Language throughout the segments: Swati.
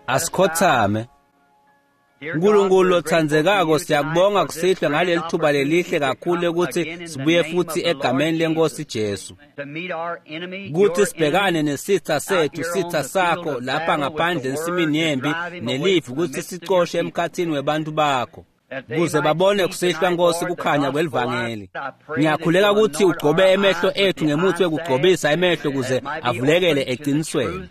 Asikhothame. Nkulunkulu lotsandzekako, siyakubonga kusihlwa ngaleli thuba lelihle kakhulu ukuthi sibuye futhi egameni lenkosi Jesu, kuthi sibhekane nesitha sethu, sitha sakho lapha ngaphandle ensimini yempi nelivi, ukuthi sicoshe emkhathini webantu bakho kuze babone kusihlwa, Nkosi, kukhanya kwelivangeli. Ngiyakhuleka ukuthi ugcobe emehlo ethu ngemuthi wekugcobisa emehlo kuze avulekele eqinisweni,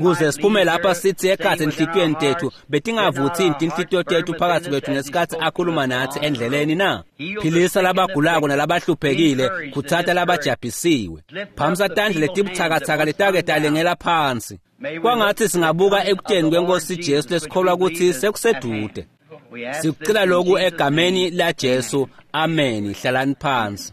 kuze siphume lapha sithi ekhathi enhlitiyweni tethu betingavuthi inhlitiyo tethu phakathi kwethu ngesikhathi akhuluma nathi endleleni na. Philisa labagulako nalabahluphekile, khutsata labajabhisiwe, phamisa tandla letibuthakathaka letake talengela phansi. Kwangathi singabuka ekuteni kwenkosi Jesu lesikholwa ukuthi sekusedude. Sikucela lokhu egameni la Jesu, amen. Hlalani phansi.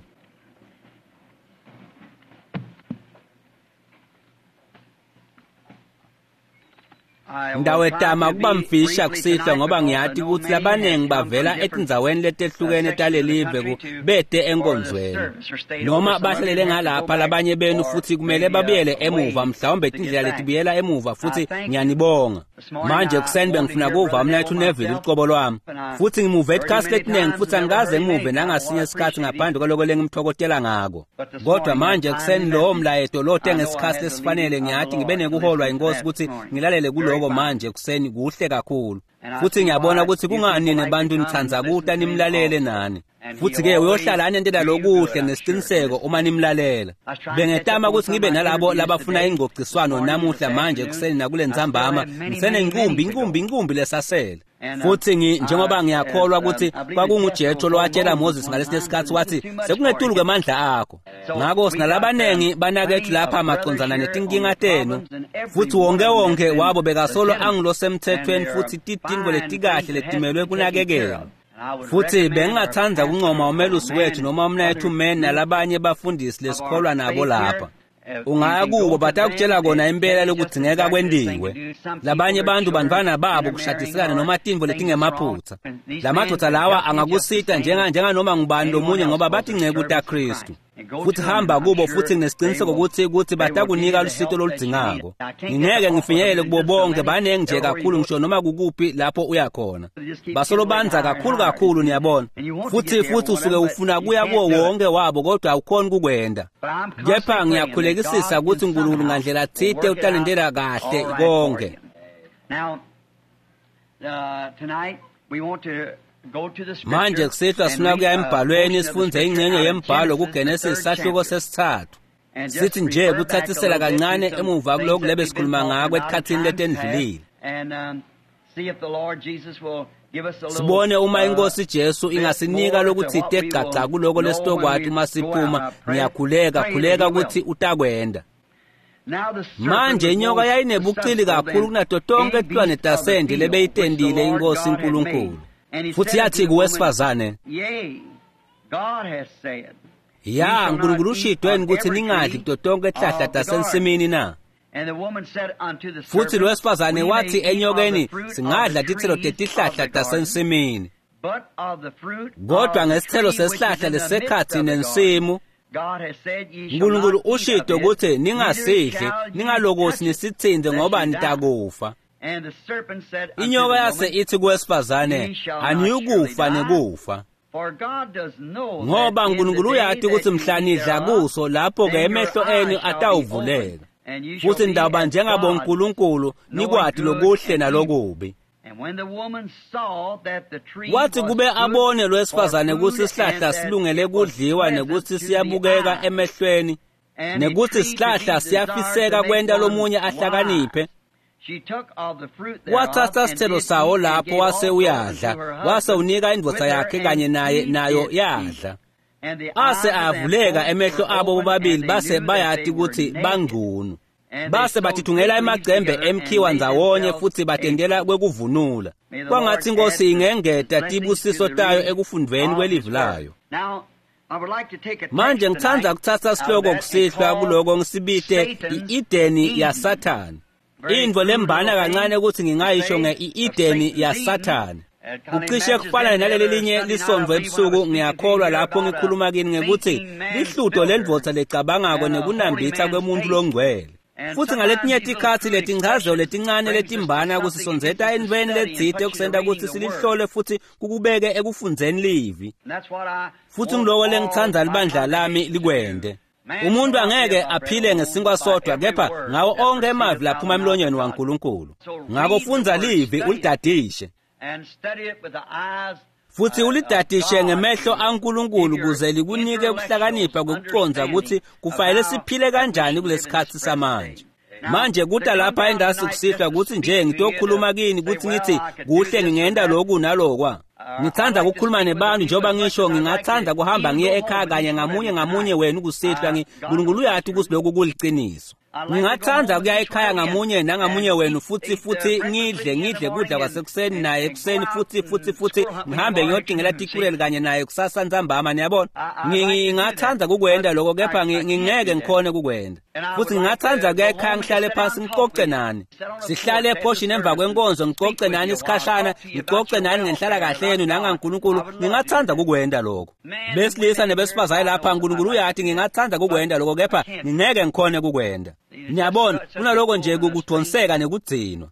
Ngitawetama kuba mfisha kusihlwa ngoba ngiyati ukuthi labaningi bavela etindzaweni letehlukene talelive bete enkonzweni, noma bahlalele ngalapha labanye benu futhi kumele babuyele emuva, mhlawumbe tindlela letibuyela emuva, futhi ngiyanibonga. Manje kuseni bengifuna kuva umnayethu Neville ucobo lwami, futhi ngimuve etikhathi letiningi futhi angikaze ngimuve nangasinye isikhathi ngaphandle kwaloko lengimthokotela ngako. Kodwa manje kuseni lowo mlayeto lote ngesikhathi lesifanele, ngiyathi ngibe nekuholwa inkosi ukuthi ngilalele kuloko manje kuseni kuhle kakhulu. Futhi ngiyabona ukuthi kungani nebantu nithandza kuta nimlalele nani. Futhi-ke uyohlala anentela lokuhle nesiqiniseko uma nimlalela. Bengetama ukuthi ngibe nalabo labafuna ingcociswano namuhla manje kuseni nakule ntsambama, ngisenenkumbi inkumbi inkumbi lesasele. Futhi njengoba ngiyakholwa ukuthi kwakunguJethro lowatshela Moses ngalesinye isikhathi wathi sekungetulu kwemandla akho. Ngakho sinalabaningi banakethu lapha macondzana netinkinga tenu, futhi wonke wonke wabo bekasolo angulosemthethweni futhi titintfo letikahle letimelwe kunakekelwa. Futhi bengingathanda ukuncoma umelusi wethu noma umnayethu men nalabanye bafundisi lesikholwa nabo lapha. Ungaya kubo batakutshela kona impela lokudzingeka kwendiwe. Labanye bantu bantfwana babo kushadiselana noma tintfo letingemaphutha. Lamadoda lawa angakusita njenganoma ngubani lomunye ngoba batinceku taKristu. Futhi hamba kubo futhi nginesiqiniseko ukuthi batakunika lusito loludzingako. Ngingeke ngifinyelele kubo bonke, baningi nje kakhulu ngisho noma kukuphi lapho uya khona. Basolo bandza kakhulu kakhulu, niyabona. Futhi usuke ufuna kuya kuwo wonke wabo kodwa awukhoni kukwenda. Kepha ngiyakhulekisisa ukuthi uNkulunkulu ngandlela thite utalendela kahle konke. Manje kusihlwa sifuna kuya embhalweni sifunze ingxenye yembhalo kuGenesis sahluko sesithathu. Sithi nje kuthathisela kancane emuva kulokhu lebe sikhuluma ngako etikhathini letendlulile. Sibone uma inkosi Jesu ingasinika lokuthite gaca kuloko lesitokwati uma siphuma. Ngiyakhuleka khuleka ukuthi utakwenda. Manje inyoka yayinebuqili kakhulu kunato tonke tilwane tasendle lebeyitendile inkosi uNkulunkulu. Futhi yathi kuwesifazane, ya uNkulunkulu ushidweni ukuthi ningadli kuto tonke tihlahla tasensimini na? Futhi lo wesifazane wathi enyokeni, singadla titselo tetihlahla tasensimini, kodwa ngesithelo sesihlahla lesekhathi nensimu uNkulunkulu ushidwe ukuthi ningasidli, ningalokothi nisithinte ngoba nitakufa. Inyoka yase ithi kuwesifazane, aniyukufa nekufa, ngoba uNkulunkulu uyati ukuthi mhla nidla kuso lapho-ke emehlo enu atawuvuleka, futhi nitawuba njengabonkulunkulu nikwati lokuhle nalokubi. Wathi kube abone lwesifazane ukuthi isihlahla silungele kudliwa nekuthi siyabukeka emehlweni nekuthi isihlahla siyafiseka kwenta lomunye ahlakaniphe, wathatha sithelo sawo lapho wase uyadla, wase unika indvodza yakhe kanye naye, nayo yadla. Ase avuleka emehlo abo bobabili, base bayati ukuthi bangcunu. Base bathithungela emacembe emkhiwa ndzawonye futhi batendela kwekuvunula. Kwangathi inkosi ingengeta tibusiso tayo ekufundveni kwelivi layo. Manje ngithanda kuthatha sihloko kusihlwa kuloko ngisibite i-Edeni yaSathane. Intfo lembana kancane ukuthi ngingayisho nge-Edeni yaSathane. Kucishe kufana naleli linye lisondvo ebusuku, ngiyakholwa lapho ngikhuluma kini ngekuthi lihluto lendvodza lecabangako nekunambitha kwemuntu longcwele. Futhi ngaletinye tikhatsi letinchazelo letincane letimbana kusisondzeta entfweni letsite kusenta kutsi silihlole futhi kukubeke ekufundzeni livi. Futhi ngiloko lengitsandza libandla lami likwente. Umuntu angeke aphile ngesinkwa sodwa kepha ngawo onke emavi laphuma emlonyeni waNkulunkulu. Ngako fundza livi ulidadishe. Futhi ulidadishe ngemehlo aNkulunkulu kuze likunike ukuhlakanipha kokucondza ukuthi kufanele siphile kanjani kulesikhatsi samanje. Manje kuta lapha endasi kusihlwa ukuthi nje ngitokhuluma kini ukuthi ngithi kuhle ngingenta lokhu nalokwa. Ngithanda ukukhuluma nebantu njengoba ngisho ngingathanda kuhamba ngiye ekhaya kanye ngamunye ngamunye wenu kusihlwa uNkulunkulu uyati ukuthi lokhu kuliciniso. Ngingathanda kuya ekhaya ngamunye nangamunye wenu futhi ngidle kudla kwasekuseni naye ekuseni futhi ngihambe ngiyotingela tikureli kanye naye kusasa ntsambama, niyabona. Ngingathanda kukwenda lokho kepha ngingeke ngikhone kukwenda. Futhi ngingathanda kuya ekhaya ngihlale phansi ngicoce nani. Sihlale ephoshini emva kwenkonzo ngicoce nani isikhashana, ngicoce nani ngenhlala kahle yenu nangaNkulunkulu. Ngingathanda kukwenda lokho. Besilisa nebesifazane lapha uNkulunkulu uyathi ngingathanda kukwenda lokho kepha ngingeke ngikhone kukwenda. Niyabona, kunaloko nje kukudonseka nekugcinwa.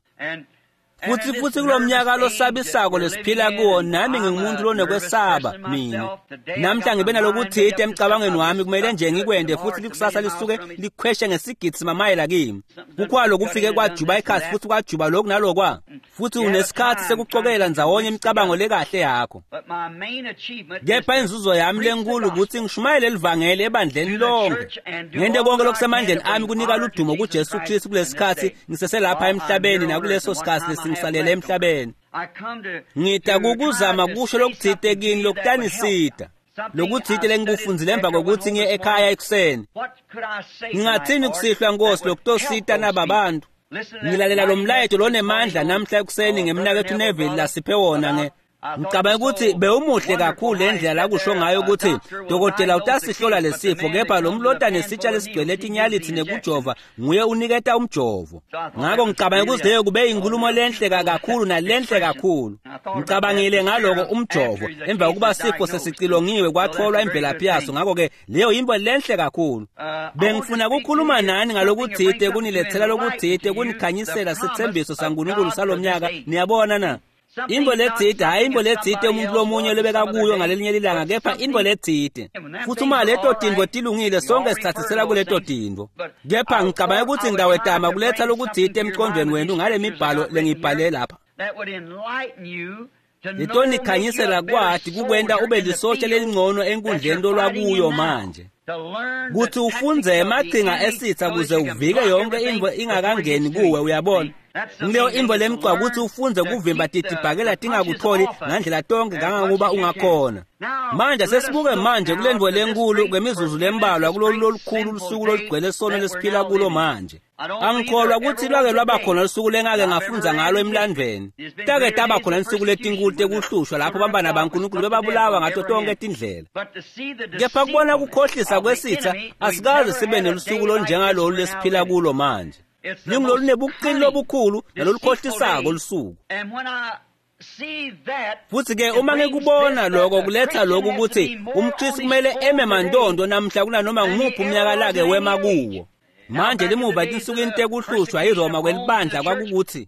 Futhi kulomnyaka losabisako lesiphila kuwo, nami ngingumuntu lonekwesaba mina. Namhla ngibe nalokuthite emcabangweni wami kumele nje ngikwende futhi likusasa lisuke likhweshe ngesigidi mamayela kimi. Kukhwalo kufike kwajuba ikhasi futhi kwajuba lokhu nalokwa. Futhi unesikhathi sekucokela ndzawonye imicabango lekahle yakho. Kepha inzuzo yami lenkulu ukuthi ngishumayele livangeli ebandleni lonke. Ngente konke lokusemandleni ami kunika ludumo kuJesu Kristu kulesikhathi ngiseselapha emhlabeni nakuleso sikhathi ngisalele emhlabeni. Ngita kukuzama kusho lokuthite kini lokutanisita. Lokuthite lengikufundzile emva kokuthi ngiye ekhaya ekuseni. Ngingathini kusihlwa Nkosi lokutosita nababantu. Ngilalela lo mlayeto lonemandla namhla ekuseni ngemnakethu Neville lasiphe wona nge Ngicabanga ukuthi bewumuhle kakhulu lendlela la kusho ngayo ukuthi dokotela utasihlola lesifo kepha lo mlota nesitsha lesigcwele tinyalithi nekujova nguye uniketa umjovo. Ngakho ngicabanga ukuthi leyo kube inkulumo lenhle kakhulu nalenhle kakhulu. Ngicabangile ngaloko umjovo emva kokuba sifo sesicilongiwe kwatholwa imvelaphi yaso, ngakho ke leyo yinto lenhle kakhulu. Bengifuna ukukhuluma nani ngalokuthite kunilethela lokuthite kunikhanyisela sithembiso saNkulunkulu salomnyaka, niyabona na? Into letsite hayi into letsite umuntu lomunye lobeka kuyo ngalelinye lilanga kepha into letsite. Futhi uma leto tintfo tilungile sonke sithathisela kuleto tintfo. Kepha ngicabanga ukuthi ngidawetama kuletha lokutsite emqondweni wenu ngale mibhalo lengiyibhale lapha. Litonikhanyisela kwati kukwenta ube lisotsha lelingcono enkundleni lolwakuyo manje. Kuthi ufundze emachinga esitha kuze uvike yonke intfo ingakangeni kuwe, uyabona. Ngileyo intfo lemcwa ukuthi ufundze kuvimba titibhakela tingakutholi ngandlela tonke kangangokuba ungakhona. Manje sesibuke manje kule ntfo lenkulu kwemizuzu lembalwa kulolu lolukhulu lusuku lolugcwele sono lesiphila kulo manje. Angikholwa ukuthi lwake lwaba khona lusuku lengake ngafundza ngalo emlandvweni. Take taba khona lusuku letinkulu tekuhlushwa lapho bantwana baNkulunkulu bebabulawa ngato tonke tindlela. Kepha kubona kukhohlisa kwesitha asikaze sibe nelusuku lonjengalolu lesiphila kulo manje. Lingulolu nebuqili lobukhulu nalolukhohlisako lusuku. Futhi ke uma ngikubona lokho kuletha lokhu ukuthi umKristu kumele eme mantondo namhla kunanoma ngumuphi umnyaka lake wema kuwo. Manje limuva etinsukwini tekuhlushwa iRoma kwelibandla kwakukuthi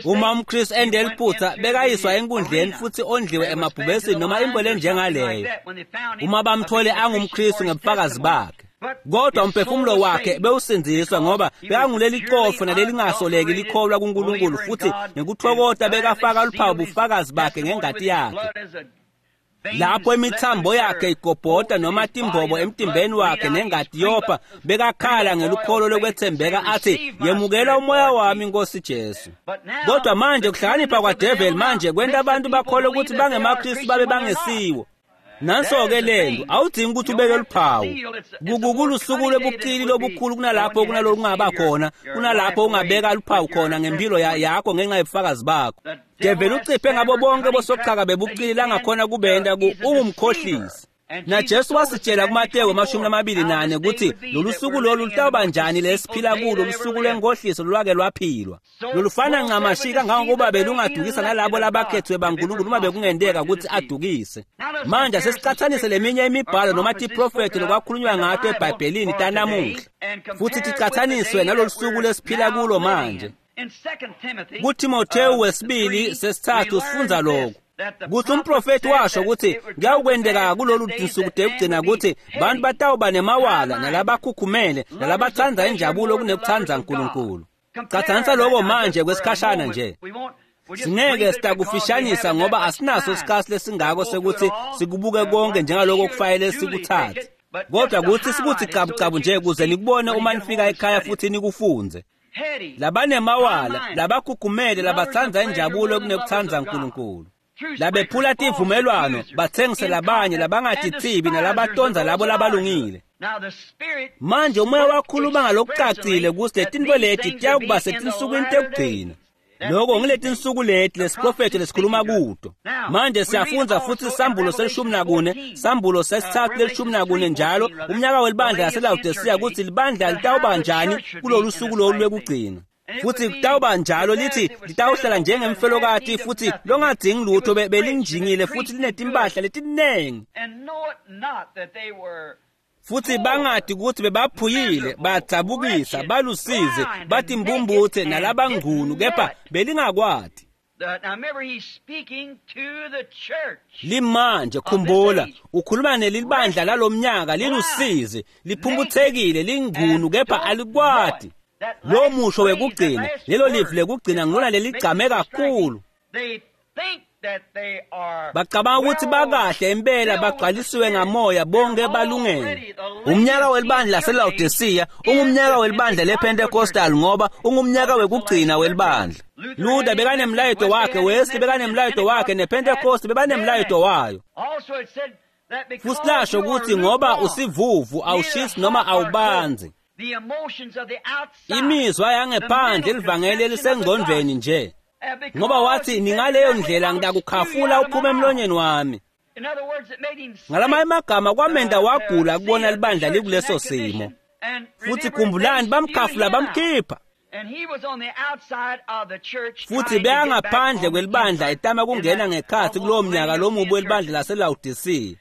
uma umKristu ende liphutha bekayiswa enkundleni futhi ondliwe emabhubesini noma into lenjengaleyo. Uma bamthole angumKristu ngebufakazi bakhe, kodwa umphefumulo wakhe bewusindziswa ngoba bekanguleli qofu nalelingasoleki likholwa kuNkulunkulu futhi ngekuthokota bekafaka luphawu bufakazi bakhe ngengati yakhe. Lapho imithambo yakhe igobhota noma timbobo emtimbeni wakhe nengati yopha, bekakhala ngelukholo lokwethembeka athi, yemukela umoya wami Nkosi Jesu. Kodwa manje kuhlakanipha kwaDevil manje kwenta abantu bakholwe ukuthi bangemaKristu babe bangesiwo. Nanso-ke lento awudingi ukuthi ubeke luphawu. Kulusuku lobuqili lobukhulu kunalapho kunalokungaba khona, kunalapho ungabeka luphawu khona ngempilo yakho ngenxa yobufakazi bakho. Devil uciphe ngabo bonke bosochaka bebuqili langakhona kubenda ungumkhohlisi. NaJesu wasitshela kuMateyu 24 ukuthi lolu suku lolu lutawuba njani lesiphila kulo, lusuku lwenkohliso lolwake lwaphilwa, lolufana ncamashi kangangokuba belungadukisa nalabo labakhethiwe baNkulunkulu uma bekungenteka ukuthi adukise. Manje asesicathanise leminye imibhalo noma tiprofethi lokwakhulunywa ngato eBhayibhelini tanamuhla, futhi ticathaniswe nalolu suku lesiphila kulo manje. KuTimothewu wesibili sesithathu sifundza lokhu kutsi umprofethi washo ukuthi kuyawukwenteka kulolu tinsuku tekugcina ukuthi bantu batawuba nemawala nalabakhukhumele nalabatsandza injabulo kunekutsandza Nkulunkulu. Cathanisa lokho manje kwesikhashana nje. Singeke sitakufishanisa ngoba asinaso isikhathi lesingako sekuthi sikubuke konke njengaloko kufanele sikuthathe, kodwa kuthi sikuthi cabucabu nje kuze nikubone uma nifika ekhaya futhi nikufunze. Labanemawala, labakhukhumele, labatsandza injabulo kunekutsandza Nkulunkulu, labephula tivumelwano, batsengise labanye, labangatithibi nalabatonza labo labalungile. Manje umoya wakhuluma ngalokucacile ukuthi letintfo leti tiyakuba setinsukwini tekugcina. Lokho ngiletinsuku leti lesiprofethi lesikhuluma kuto. Manje siyafundza futhi sambulo se-14, sambulo sesithathu le-14 njalo, umnyaka welibandla laseLawodisiya, ukuthi libandla litawuba njani kulolu suku lolu lwekugcina. Futhi kutawuba njalo, lithi litawuhlala njengemfelokati futhi longadzingi lutho, belinjingile futhi linetimpahla letinengi, futhi bangadi ukuthi bebaphuyile, badzabukisa, balusizi, batimbumbuthe nalabangcunu, kepha belingakwati. Limanje khumbula, ukhuluma nelibandla lalomnyaka, lilusizi, liphumputhekile, lingcunu, kepha alikwati. Lo musho wekugcina, lelo livi lekugcina ngilona leligcame kakhulu. Bacabanga ukuthi bakahle impela, bagcwalisiwe ngamoya, bonke balungele. Umnyaka welibandla laseLawodisiya ungumnyaka welibandla lePentecostal ngoba ungumnyaka wekugcina welibandla. Luther bekanemlayeto wakhe, Wesley bekanemlayeto wakhe, nePentecost bebanemlayeto wayo. Futhi lasho ukuthi ngoba usivuvu awushisi noma awubanzi, imizwa yangephandle livangeli elisengcondvweni nje, ngoba wathi ningaleyo ndlela ngitakukhafula uphume emlonyeni wami. Ngalamanye amagama kwamenda wagula kubona libandla likuleso simo. Futhi khumbulani, bamkhafula bamkhipha, futhi beyangaphandle kwelibandla etama kungena ngekhathi kulowo mnyaka lomubi welibandla laseLawodisiya.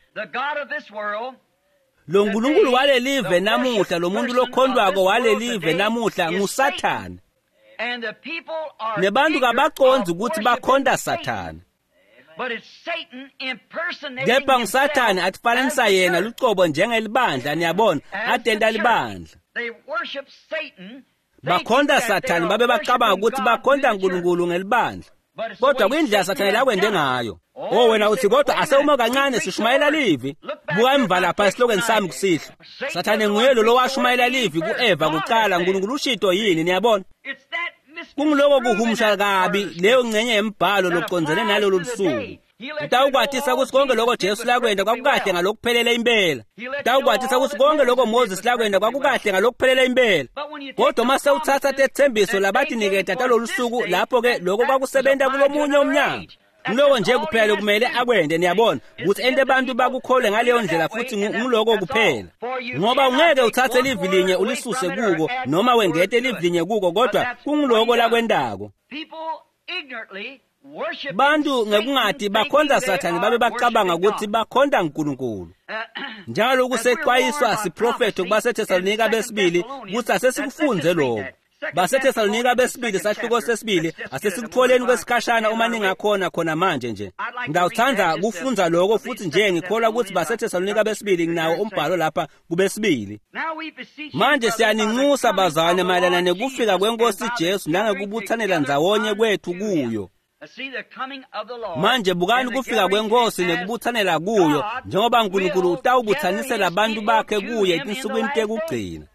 Lo nkulunkulu walelive namuhla, lo muntu lokhontwako walelive namuhla nguSathane. Nebantu kabacondzi ukuthi bakhonta Sathane, kepha nguSathane atifananisa yena lucobo njengelibandla. Niyabona, atenta libandla. Bakhonta Sathane babe bacabanga ukuthi bakhonta Nkulunkulu ngelibandla, kodwa kwindlela Sathane lakwende ngayo. Oh wena uthi kodwa asewuma kancane, sishumayela livi. Buka emva lapha esihlokweni sami kusihlwa. Sathane nguye lo lowashumayela livi ku-Eva kucala. Nkulunkulu ushito yini? Niyabona, kungiloko kuhumusha kabi leyo ngcenye yembhalo locondzene nalolu lusuku. Utawukwatisa ukuthi konke lokho Jesu lakwenda kwakukahle ngalokuphelele impela. Utawukwatisa ukuthi konke lokho Moses lakwenda kwakukahle ngalokuphelele impela. Kodwa uma sewuthatha tethembiso labatiniketa talolu suku, lapho-ke lokho kwakusebenta kulomunye umnyaka. Ngiloko nje kuphela kumele akwende, niyabona, ukuthi ente abantu bakukholwe ngaleyo ndlela, futhi ngiloko kuphela. Ngoba ungeke uthathe livi linye ulisuse kuko noma wengete livi linye kuko, kodwa kungiloko lakwentako. Bantu ngekungati bakhonza Sathane babe bacabanga ukuthi bakhonta uNkulunkulu. Njalo kusexwayiswa siprofetho kubaseThesalonika besibili ukuthi asesikufunze lokho. BaseThesalonika besibili sahluko sesibili, asesikutholeni kwesikhashana uma ningakhona khona manje nje. Ngiyawuthanda kufunza lokho futhi nje ngikholwa ukuthi baseThesalonika besibili nginawo umbhalo lapha kubesibili. Manje siyaninxusa bazalwane mayelana nekufika kwenkosi Jesu nangekubuthanela ndzawonye kwethu kuyo. Manje bukani kufika kwenkosi nekubuthanela kuyo, njengoba uNkulunkulu utawubuthanisela abantu bakhe kuye etinsukwini tekugcina.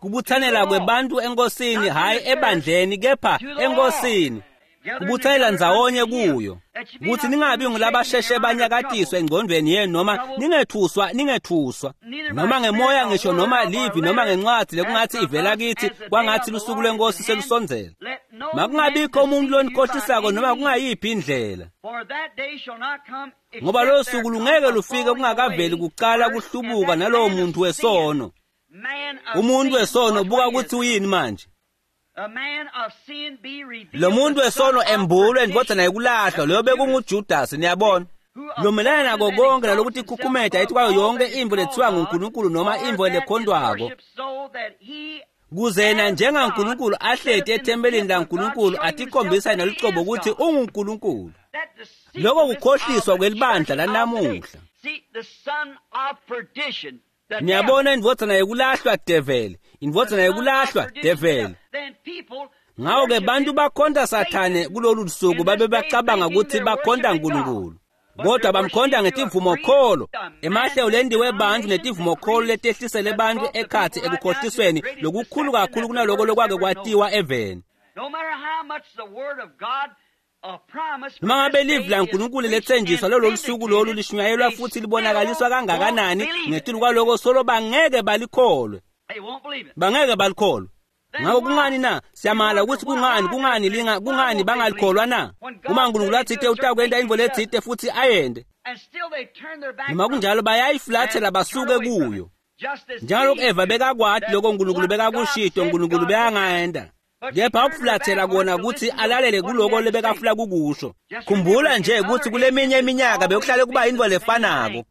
Kubuthanela kwebantu enkosini, hhayi ebandleni, kepha enkosini. Kubutsayela ndzawonye kuyo kutsi ningabi ngulabasheshe banyakatiswe engcondvweni yenu noma ningethuswa noma ngemoya ngisho noma livi noma ngencwadzi lekungatsi ivela kithi kwangatsi lusuku lwenkosi selusondzela. Makungabikho umuntu lonikhohlisako noma kungayiphi indlela, ngoba lolo suku lungeke lufike kungakaveli kucala kuhlubuka nalowo muntu wesono. Umuntu wesono, buka kutsi uyini manje. Lo muntu wesono embulwe indvodzana yekulahlwa, loyo bekunguJudas, niyabona. Lomelana nako konke nalokuthi ikhukhumeta ethi kwayo yonke imvo lethiwa nguNkulunkulu noma imvo lekhondwako, kuze yena njengaNkulunkulu ahleti ethempelini laNkulunkulu atikhombisa yena lucobo ukuthi unguNkulunkulu. Lokho kukhohliswa kwelibandla lanamuhla. Niyabona, indvodzana yekulahlwa develi, indvodzana yekulahlwa develi. Ngako-ke bantu bakhonta Sathane kulolu lusuku babe bacabanga ukuthi bakhonta Nkulunkulu, kodwa bamkhonta ngetivumokholo, emahlelo lendiwe bantfu netivumokholo letehlisele bantfu ekhatsi ekukhohlisweni lokukhulu kakhulu kunaloko lokwake kwatiwa eveni. Noma ngabe livi laNkulunkulu letsenjiswa lolo lusuku lolu lishunyayelwa futhi libonakaliswa kangakanani, ngetulu kwaloko solo bangeke balikholwe, bangeke balikholwe. Ngako kungani na? Siyamala ukuthi kungani bangalikholwa na? Uma uNkulunkulu atsite utakwenta intfo letsite futhi ayende, noma kunjalo bayayifulathela basuke kuyo. Njengalokhu Eva bekakwati lokho uNkulunkulu bekakushito, uNkulunkulu bekangayenda, kepha ukufulathela kona ukuthi alalele kuloko lebekafuna kukusho. Khumbula nje ukuthi kuleminye iminyaka bekuhlale kuba intfo lefanako.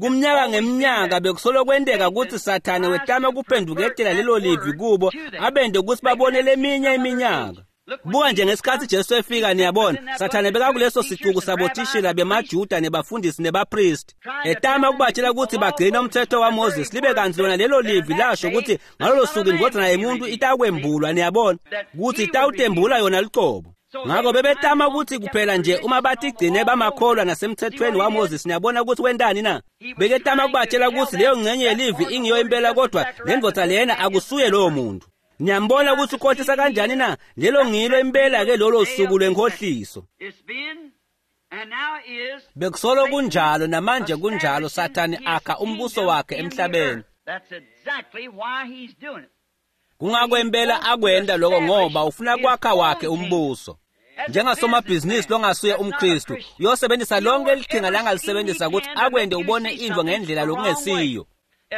Kumnyaka ngeminyaka bekusolo kwenteka ukuthi Sathane wetama kuphenduketela lelo livi kubo, abende ukuthi babone leminye iminyaka. Buka nje ngesikhathi Jesu efika, niyabona, Sathane bekakuleso sicuku sabothishela bemaJuda nebafundisi nebapristi, etama ukubatshela ukuthi bagcine umthetho waMoses, libe kanti lona lelo livi lasho ukuthi ngalolo suku indvodzana yemuntu itakwembulwa, niyabona, ukuthi itawutembula yona lucobo. Ngako bebetama ukuthi kuphela nje uma batigcine bamakholwa nasemthethweni waMoses, niyabona ukuthi wentani na? Beketama kubatshela ukuthi leyo ngcenye yelivi ingiyo impela, kodwa le ndvodza lena akusuye lowo muntu. Niyambona ukuthi ukhohlisa kanjani na? Lelo ngilo impela ke lolo suku lwenkohliso. Bekusolo kunjalo namanje kunjalo, Sathane akha umbuso wakhe emhlabeni. Kungakwempela akwenta lokho ngoba ufuna kwakha wakhe umbuso. Njengasomabhizinisi longasuye umKristu, uyosebenzisa lonke liqhinga langalisebenzisa ukuthi akwente ubone intfo ngendlela lokungesiyo.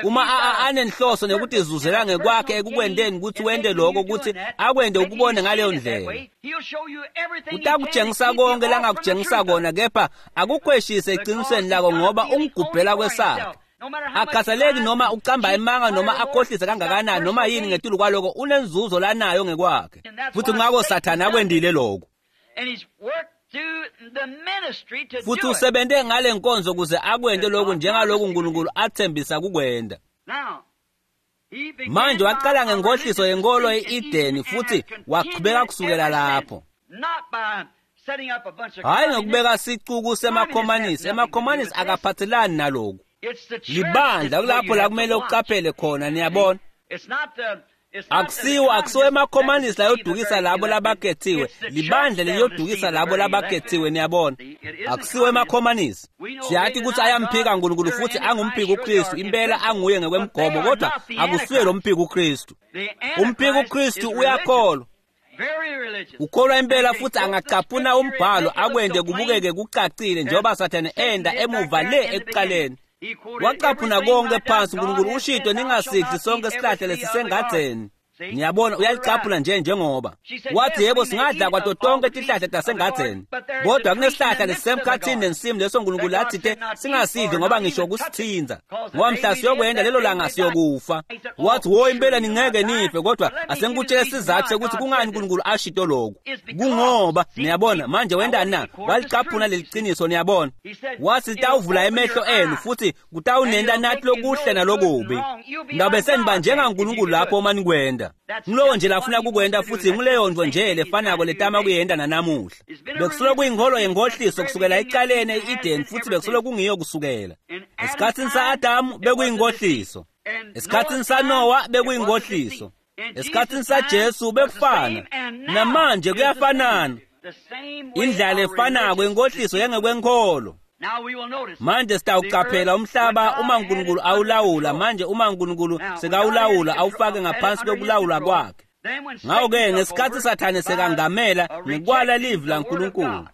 Uma anenhloso nekutizuzela ngekwakhe ekukwenteni ukuthi wente lokho, ukuthi akwente ukubone ngaleyo ndlela. Utakutshengisa konke langakutshengisa kona, kepha akukhweshise eqinisweni lako ngoba ungigubhela kwesakhe. Akhathaleki noma ucamba emanga noma akhohlise kangakanani noma yini, ngetulu kwaloko unenzuzo lanayo ngekwakhe. Futhi ngako Sathane akwendile lokho. Futhi usebente ngale nkonzo kuze akwente lokhu njengaloku uNkulunkulu athembisa kukwenta. Manje waqala ngenkohliso yenkolo e-Edeni futhi waqhubeka kusukela lapho. Hhayi ngokubeka sicuku semakhomanisi, emakhomanisi akaphathelani naloku. Libandla kulapho la kumele uqaphele khona, niyabona. Akusiwo emakhomanisi layodukisa labo labakhethiwe, libandla leliyodukisa labo labakhethiwe, niyabona. Akusiwo emakhomanisi. Siyathi ukuthi ayamphika uNkulunkulu futhi angumphiki uKristu, impela anguye ngekwemgomo, kodwa akusuye lo mphiki uKristu. Umphiki uKristu uyakholwa, ukholwa impela futhi angacaphuna umbhalo akwente kubukeke kucacile njengoba Sathane enda emuva le ekuqaleni. Wacaphuna konke phansi, uNkulunkulu ushito ningasidli sonke sihlahla lesisengadzeni. Niyabona, uyalicaphuna nje njengoba wathi yebo singadla kwato tonke tihlahla tasengadzeni, kodwa kunesihlahla lesisemkhathini nensimu leso uNkulunkulu athite singasidli ngoba ngisho kusithinza, ngoba mhla siyokwenda lelo langa siyokufa. Wathi wo impela ningeke nife, kodwa asengikutshele isizathu sekuthi kungani uNkulunkulu ashito lokhu. Kungoba niyabona manje wendani na? Walicaphuna leliqiniso, niyabona. Wathi tawuvula emehlo enu futhi kutawunenta nathi lokuhle nalokubi. Ngabe seniba njengaNkulunkulu lapho uma nikwenda. Ngilowo nje lafuna kukwenta futhi ngileyo nto nje lefanako letama kuyenta nanamuhla. Bekusolo kuyinkholo yenkohliso kusukela ecaleni e-Eden futhi bekusolo kungiyo kusukela. Esikhatsini sa-Adamu bekuyinkohliso. Esikhatsini saNowa bekuyinkohliso. Esikhatsini saJesu bekufana, namanje kuyafanana. Indlela efanako inkohliso yengekwenkholo. Manje sitawucaphela umhlaba uma uNkulunkulu awulawula. Manje uma uNkulunkulu sekawulawula awufake ngaphansi kwekulawula kwakhe. Ngakho-ke ngesikhathi Sathane sekangamela ngekwala livi laNkulunkulu,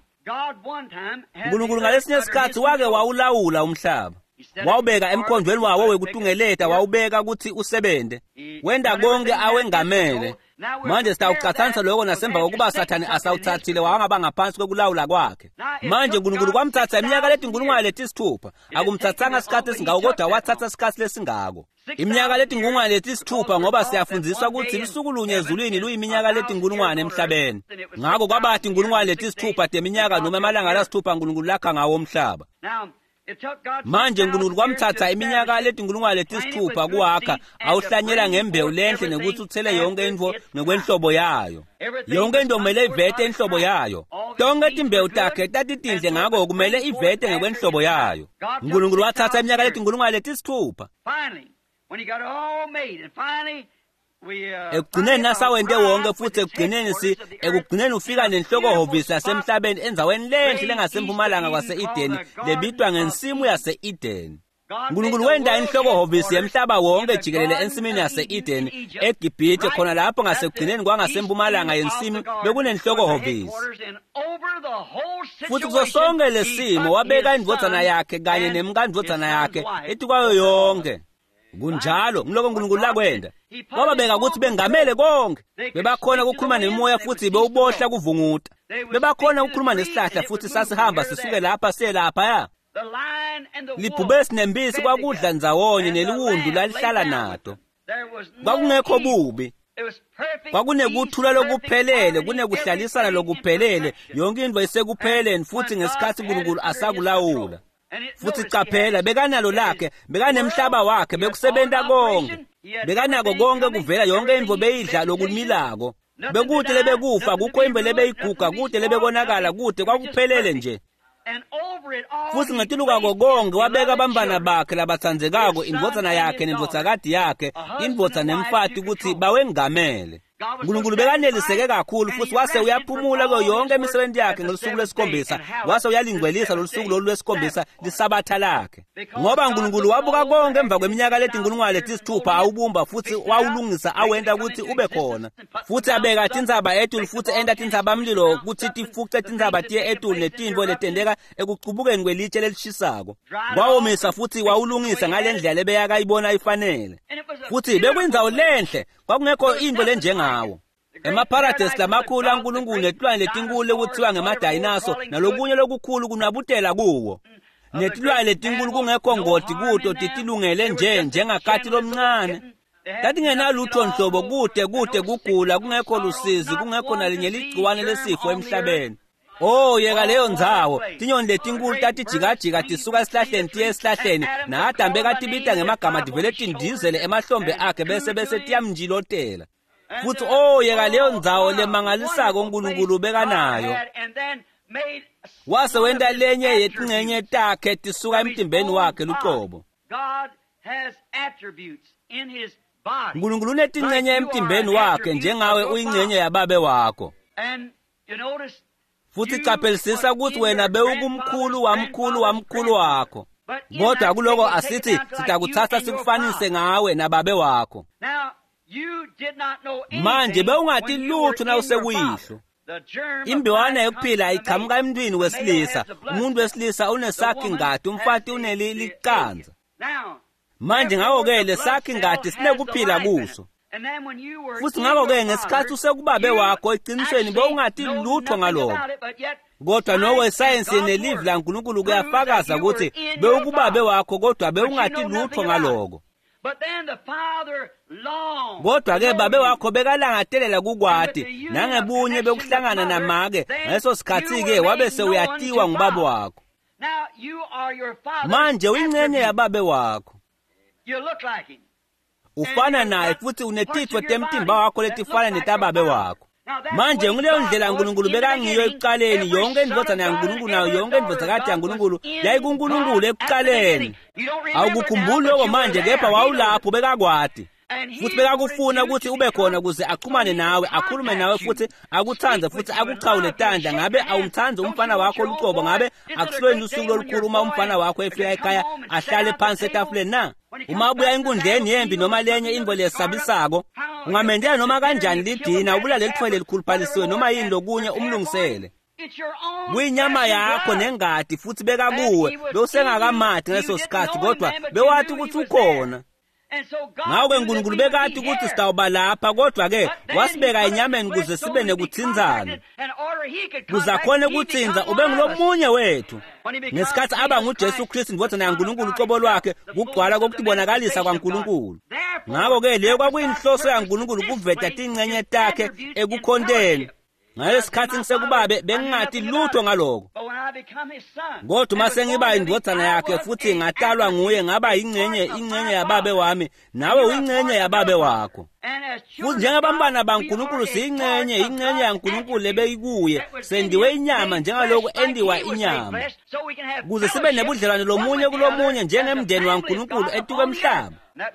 uNkulunkulu ngalesinye isikhathi wake wawulawula umhlaba, wawubeka emkhondweni wawo wekutungeleta, wawubeka ukuthi usebente, wenda konke awengamele. Manje sitawucatsanisa lokho nasemva kokuba Sathane asawuthathile wangaba ngaphansi kwekulawula kwakhe. Manje uNkulunkulu kwamthatha iminyaka letinkulungwane letisithupha, akumthathanga isikhathi esingako, kodwa wathatha isikhathi lesingako. Iminyaka letinkulungwane letisithupha, ngoba siyafundziswa ukuthi lusuku lunye ezulwini luyiminyaka letinkulungwane emhlabeni. Ngakho kwaba tinkulungwane letisithupha teminyaka noma emalanga lasithupha uNkulunkulu lakha ngawo umhlaba. Manje uNkulunkulu kwamthatha iminyaka letinkulungwane letisithupha kuwakha, awuhlanyela ngembewu lenhle nekuthi uthele yonke intfo ngekwenhlobo yayo. Yonke into kumele ivete inhlobo yayo. Tonke timbewu takhe tatitinhle, ngako kumele ivete ngekwenhlobo yayo. uNkulunkulu wathatha iminyaka letinkulungwane letisithupha. Ekugcineni nasawente wonke futhi ekugcineni ekugcineni ufika nenhlokohhovisi yasemhlabeni endzaweni lenhle lengasempumalanga kwase-Edeni lebitwa ngensimu yase-Edeni. uNkulunkulu wenta inhlokohhovisi yemhlaba wonke jikelele ensimini yase-Edeni eGibhithe, khona lapho ngasekugcineni kwangasempumalanga yensimu bekunenhlokohhovisi. Futhi kuso sonke lesimo wabeka indvodzana yakhe kanye nemkandvodzana yakhe etikwayo yonke. Kunjalo ngiloko uNkulunkulu lakwenda. Wababeka ukuthi bengamele konke. Bebakhona ukukhuluma nemoya futhi bewubohla kuvunguta. Bebakhona ukukhuluma nesihlahla futhi sasihamba sisuke lapha siye laphaya. Libhubesi nembisi kwakudla ndzawonye neliwundlu lalihlala nato. Kwakungekho bubi. Kwakunekuthula lokuphelele, kunekuhlalisana lokuphelele, yonke into isekupheleni futhi ngesikhathi uNkulunkulu asakulawula. Futhi caphela, bekanalo lakhe, bekanemhlaba wakhe, bekusebenta konke. Bekanako konke kuvela, yonke intfo beyidla lokumilako. Bekude lebekufa, kukho imbe lebeyiguga, kude lebekonakala, kude kwakuphelele nje. Futhi ngetulukako konke wabeka abantwana bakhe labatsandzekako, indvodzana yakhe nendvodzakati yakhe, indvodza nemfati ukuthi bawengamele. uNkulunkulu bekaneliseke kakhulu futhi wase uyaphumula kuyo yonke imisebenzi yakhe ngelusuku lwesikhombisa, wase uyalingcwelisa lolu suku lolu lwesikhombisa lisabatha lakhe. Ngoba uNkulunkulu wabuka konke emva kweminyaka letinkulungwane letisithupha awubumba futhi wawulungisa awenta ukuthi ube khona. Futhi abeka tintsaba etulu futhi enta tintsabamlilo ukuthi tifuce tintsaba tiye etulu netintfo letenteka ekucubukeni kwelitshe lelishisako. Wawomisa futhi wawulungisa ngale ndlela lebeyakayibona ifanele. Futhi bekuyindzawo lenhle, kwakungekho into lenjengawo. Emaparadesi lamakhulu aNkulunkulu netilwane letinkulu lekuthiwa ngemadayinaso nalokunye lokukhulu kunabutela kuwo. Netilwane letinkulu kungekho ngoti kuto, titilungele nje njengakati lomncane. Tatingenalutho nhlobo, kude kude kugula, kungekho lusizi, kungekho nalinye ligciwane lesifo emhlabeni. Oh, yeka leyo ndzawo. Tinyoni letinkulu tatijikajika tisuka esihlahleni tiye esihlahleni, na-Adamu bekatibita ngemagama tivele tindizele emahlombe akhe bese tiyamnjilotela. Futhi oh, yeka leyo ndzawo lemangalisako uNkulunkulu bekanayo. Wase wenta lenye yetincenye takhe tisuka emtimbeni wakhe lucobo. uNkulunkulu unetincenye emtimbeni wakhe njengawe uyincenye yababe wakho. Futhi qaphelisisa ukuthi wena bewukumkhulu wamkhulu wamkhulu wakho. Kodwa kuloko asithi sitakuthatha sikufanise ngawe nababe wakho. Manje bewungati lutho nawusekuyihlo. Imbewana yokuphila iqhamuka emntwini wesilisa. Umuntu wesilisa unesakhi ngati, umfati uneliqanza. Manje ngakho-ke lesakhi ngati sinekuphila kuso. Futhi ngakho-ke ngesikhathi usekubabe wakho eqinisweni bewungati lutho ngalokho. Kodwa noko isayensi nelivi laNkulunkulu kuyafakaza ukuthi bewukubabe wakho kodwa bewungati lutho ngaloko. Kodwa-ke babe wakho bekalangatelela kukwati nangebunye bekuhlangana namake ngaleso sikhathi-ke wabe sewuyatiwa ngubaba wakho. Manje uyincenye yababe wakho. Ufana naye futhi unetitfo temtimba wakho letifana netababe wakho. Manje nguleyo ndlela uNkulunkulu bekangiyo ekuqaleni. Yonke indvodzana yaNkulunkulu nayo yonke indvodzakati yaNkulunkulu yayikuNkulunkulu ekuqaleni. Awukukhumbuli lokho manje, kepha wawulapho bekakwati. Futhi bekakufuna ukuthi ube khona ukuze axhumane nawe, akhulume nawe futhi akuthande futhi akuchawule tandla. Ngabe awumthandi umfana wakho lucobo? Ngabe akusilweni usuku lolukhulu uma umfana wakho efika ekhaya ahlale phansi etafuleni na? Uma ubuya enkundleni yempi noma lenye into lesabisako, ungamendela noma kanjani lidina, ubulale lithwele likhuluphalisiwe noma yini lokunye umlungisele. Kuyinyama yakho nengadi futhi bekakuwe, bewusengakamadi ngaleso sikhathi, kodwa bewathi ukuthi ukhona. Ngakho-ke uNkulunkulu bekade ukuthi sitawuba lapha, kodwa-ke wasibeka enyameni ukuze sibe nekuthinzana, kuze akhone ukuthinza ube ngulomunye wethu. Ngesikhathi aba nguJesu Kristu indodana yaNkulunkulu ucobo lwakhe, kugcwala kokubonakalisa kwaNkulunkulu. Ngakho-ke leyo kwakuyinhloso yaNkulunkulu, ukuveta tingcenye takhe ekukhonteni. Ngalesikhathi ngisekubabe bengingati lutho ngaloko, kodwa uma sengiba indodana yakhe futhi ngatalwa nguye, ngaba ingcenye yababe wami, nawe uyingcenye yababe wakho. Futhi njengabantwana baNkulunkulu siyingcenye yaNkulunkulu lebeyikuye, sendiwe inyama njengaloku endiwa inyama, ukuze sibe nebudlelwane lomunye kulomunye njengemndeni waNkulunkulu etuka emhlaba.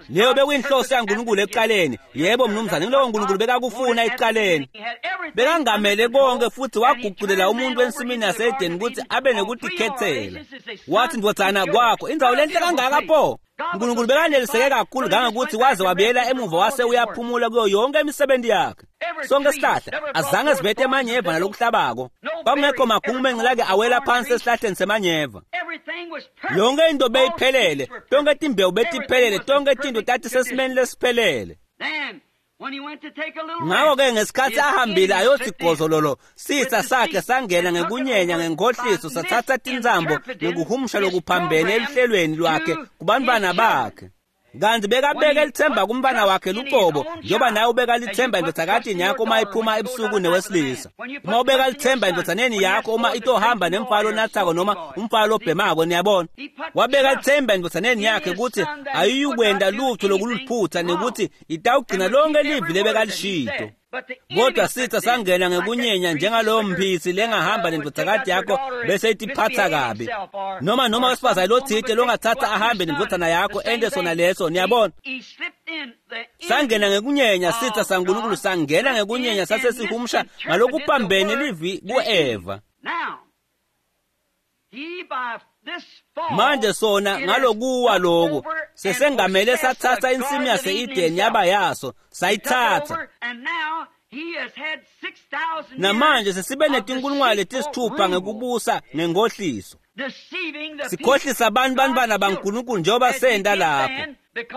Leyo bekuyinhloso yaNkulunkulu ekuqaleni. Yebo mnumzane, ngiloko uNkulunkulu bekakufuna ekuqaleni. Bekangamele konke futhi waguqulela umuntu ensimini yaseEdeni ukuthi abe nokutikhethela. Wathi, ndvodzana kwakho indzawo lenhle kangaka pho. uNkulunkulu bekaneliseke kakhulu kangangokuthi waze wabuyela emuva wase uyaphumula kuyo yonke imisebenzi yakhe. Sonke isihlahla azange sibethe emanyeva nalokuhlabako. Kwakungekho magungu lake awela phansi esihlahleni semanyeva. Yonke into beyiphelele, tonke timbewu betiphelele, tonke tinto tati sesimeni lesiphelele. Ngakho-ke ngesikhathi ahambile ayothi gozololo, sitha sakhe sangena ngekunyenya ngenkohliso, sathatha tintsambo ngekuhumusha lokuphambene eluhlelweni lwakhe kubantwana bakhe. Kanti bekabeka lithemba kumntwana wakhe lucobo, njengoba nawe ubeka lithemba endodakatini yakho uma iphuma ebusuku newesilisa. Uma ubeka lithemba endodsaneni yakho uma itohamba nemfalo onathako noma umfalo obhemako, niyabona. Wabeka lithemba endodsaneni yakhe ukuthi ayiyukwenda lutho lokuluphutha nekuthi itawugcina lonke livi lebekalishito. Kodwa sitha sangena ngekunyenya njengalowo mphisi lengahamba nendvodzakati yakho bese itiphatha kabi, noma wesifazane lothite longathatha ahambe nendvodzana yakho ente sona leso, niyabona. Sangena ngekunyenya sitha saNkulunkulu, sangena ngekunyenya sase sihumusha ngalokuphambene livi ku-Eva. Manje sona ngalokuwa loku sesengamele sathatha insimu yase-Edeni yaba yaso, sayithatha. Namanje sesibe netinkulungwane letisithupha ngekubusa ngenkohliso, sikhohlisa abantu bantwana baNkulunkulu njengoba senta lapho,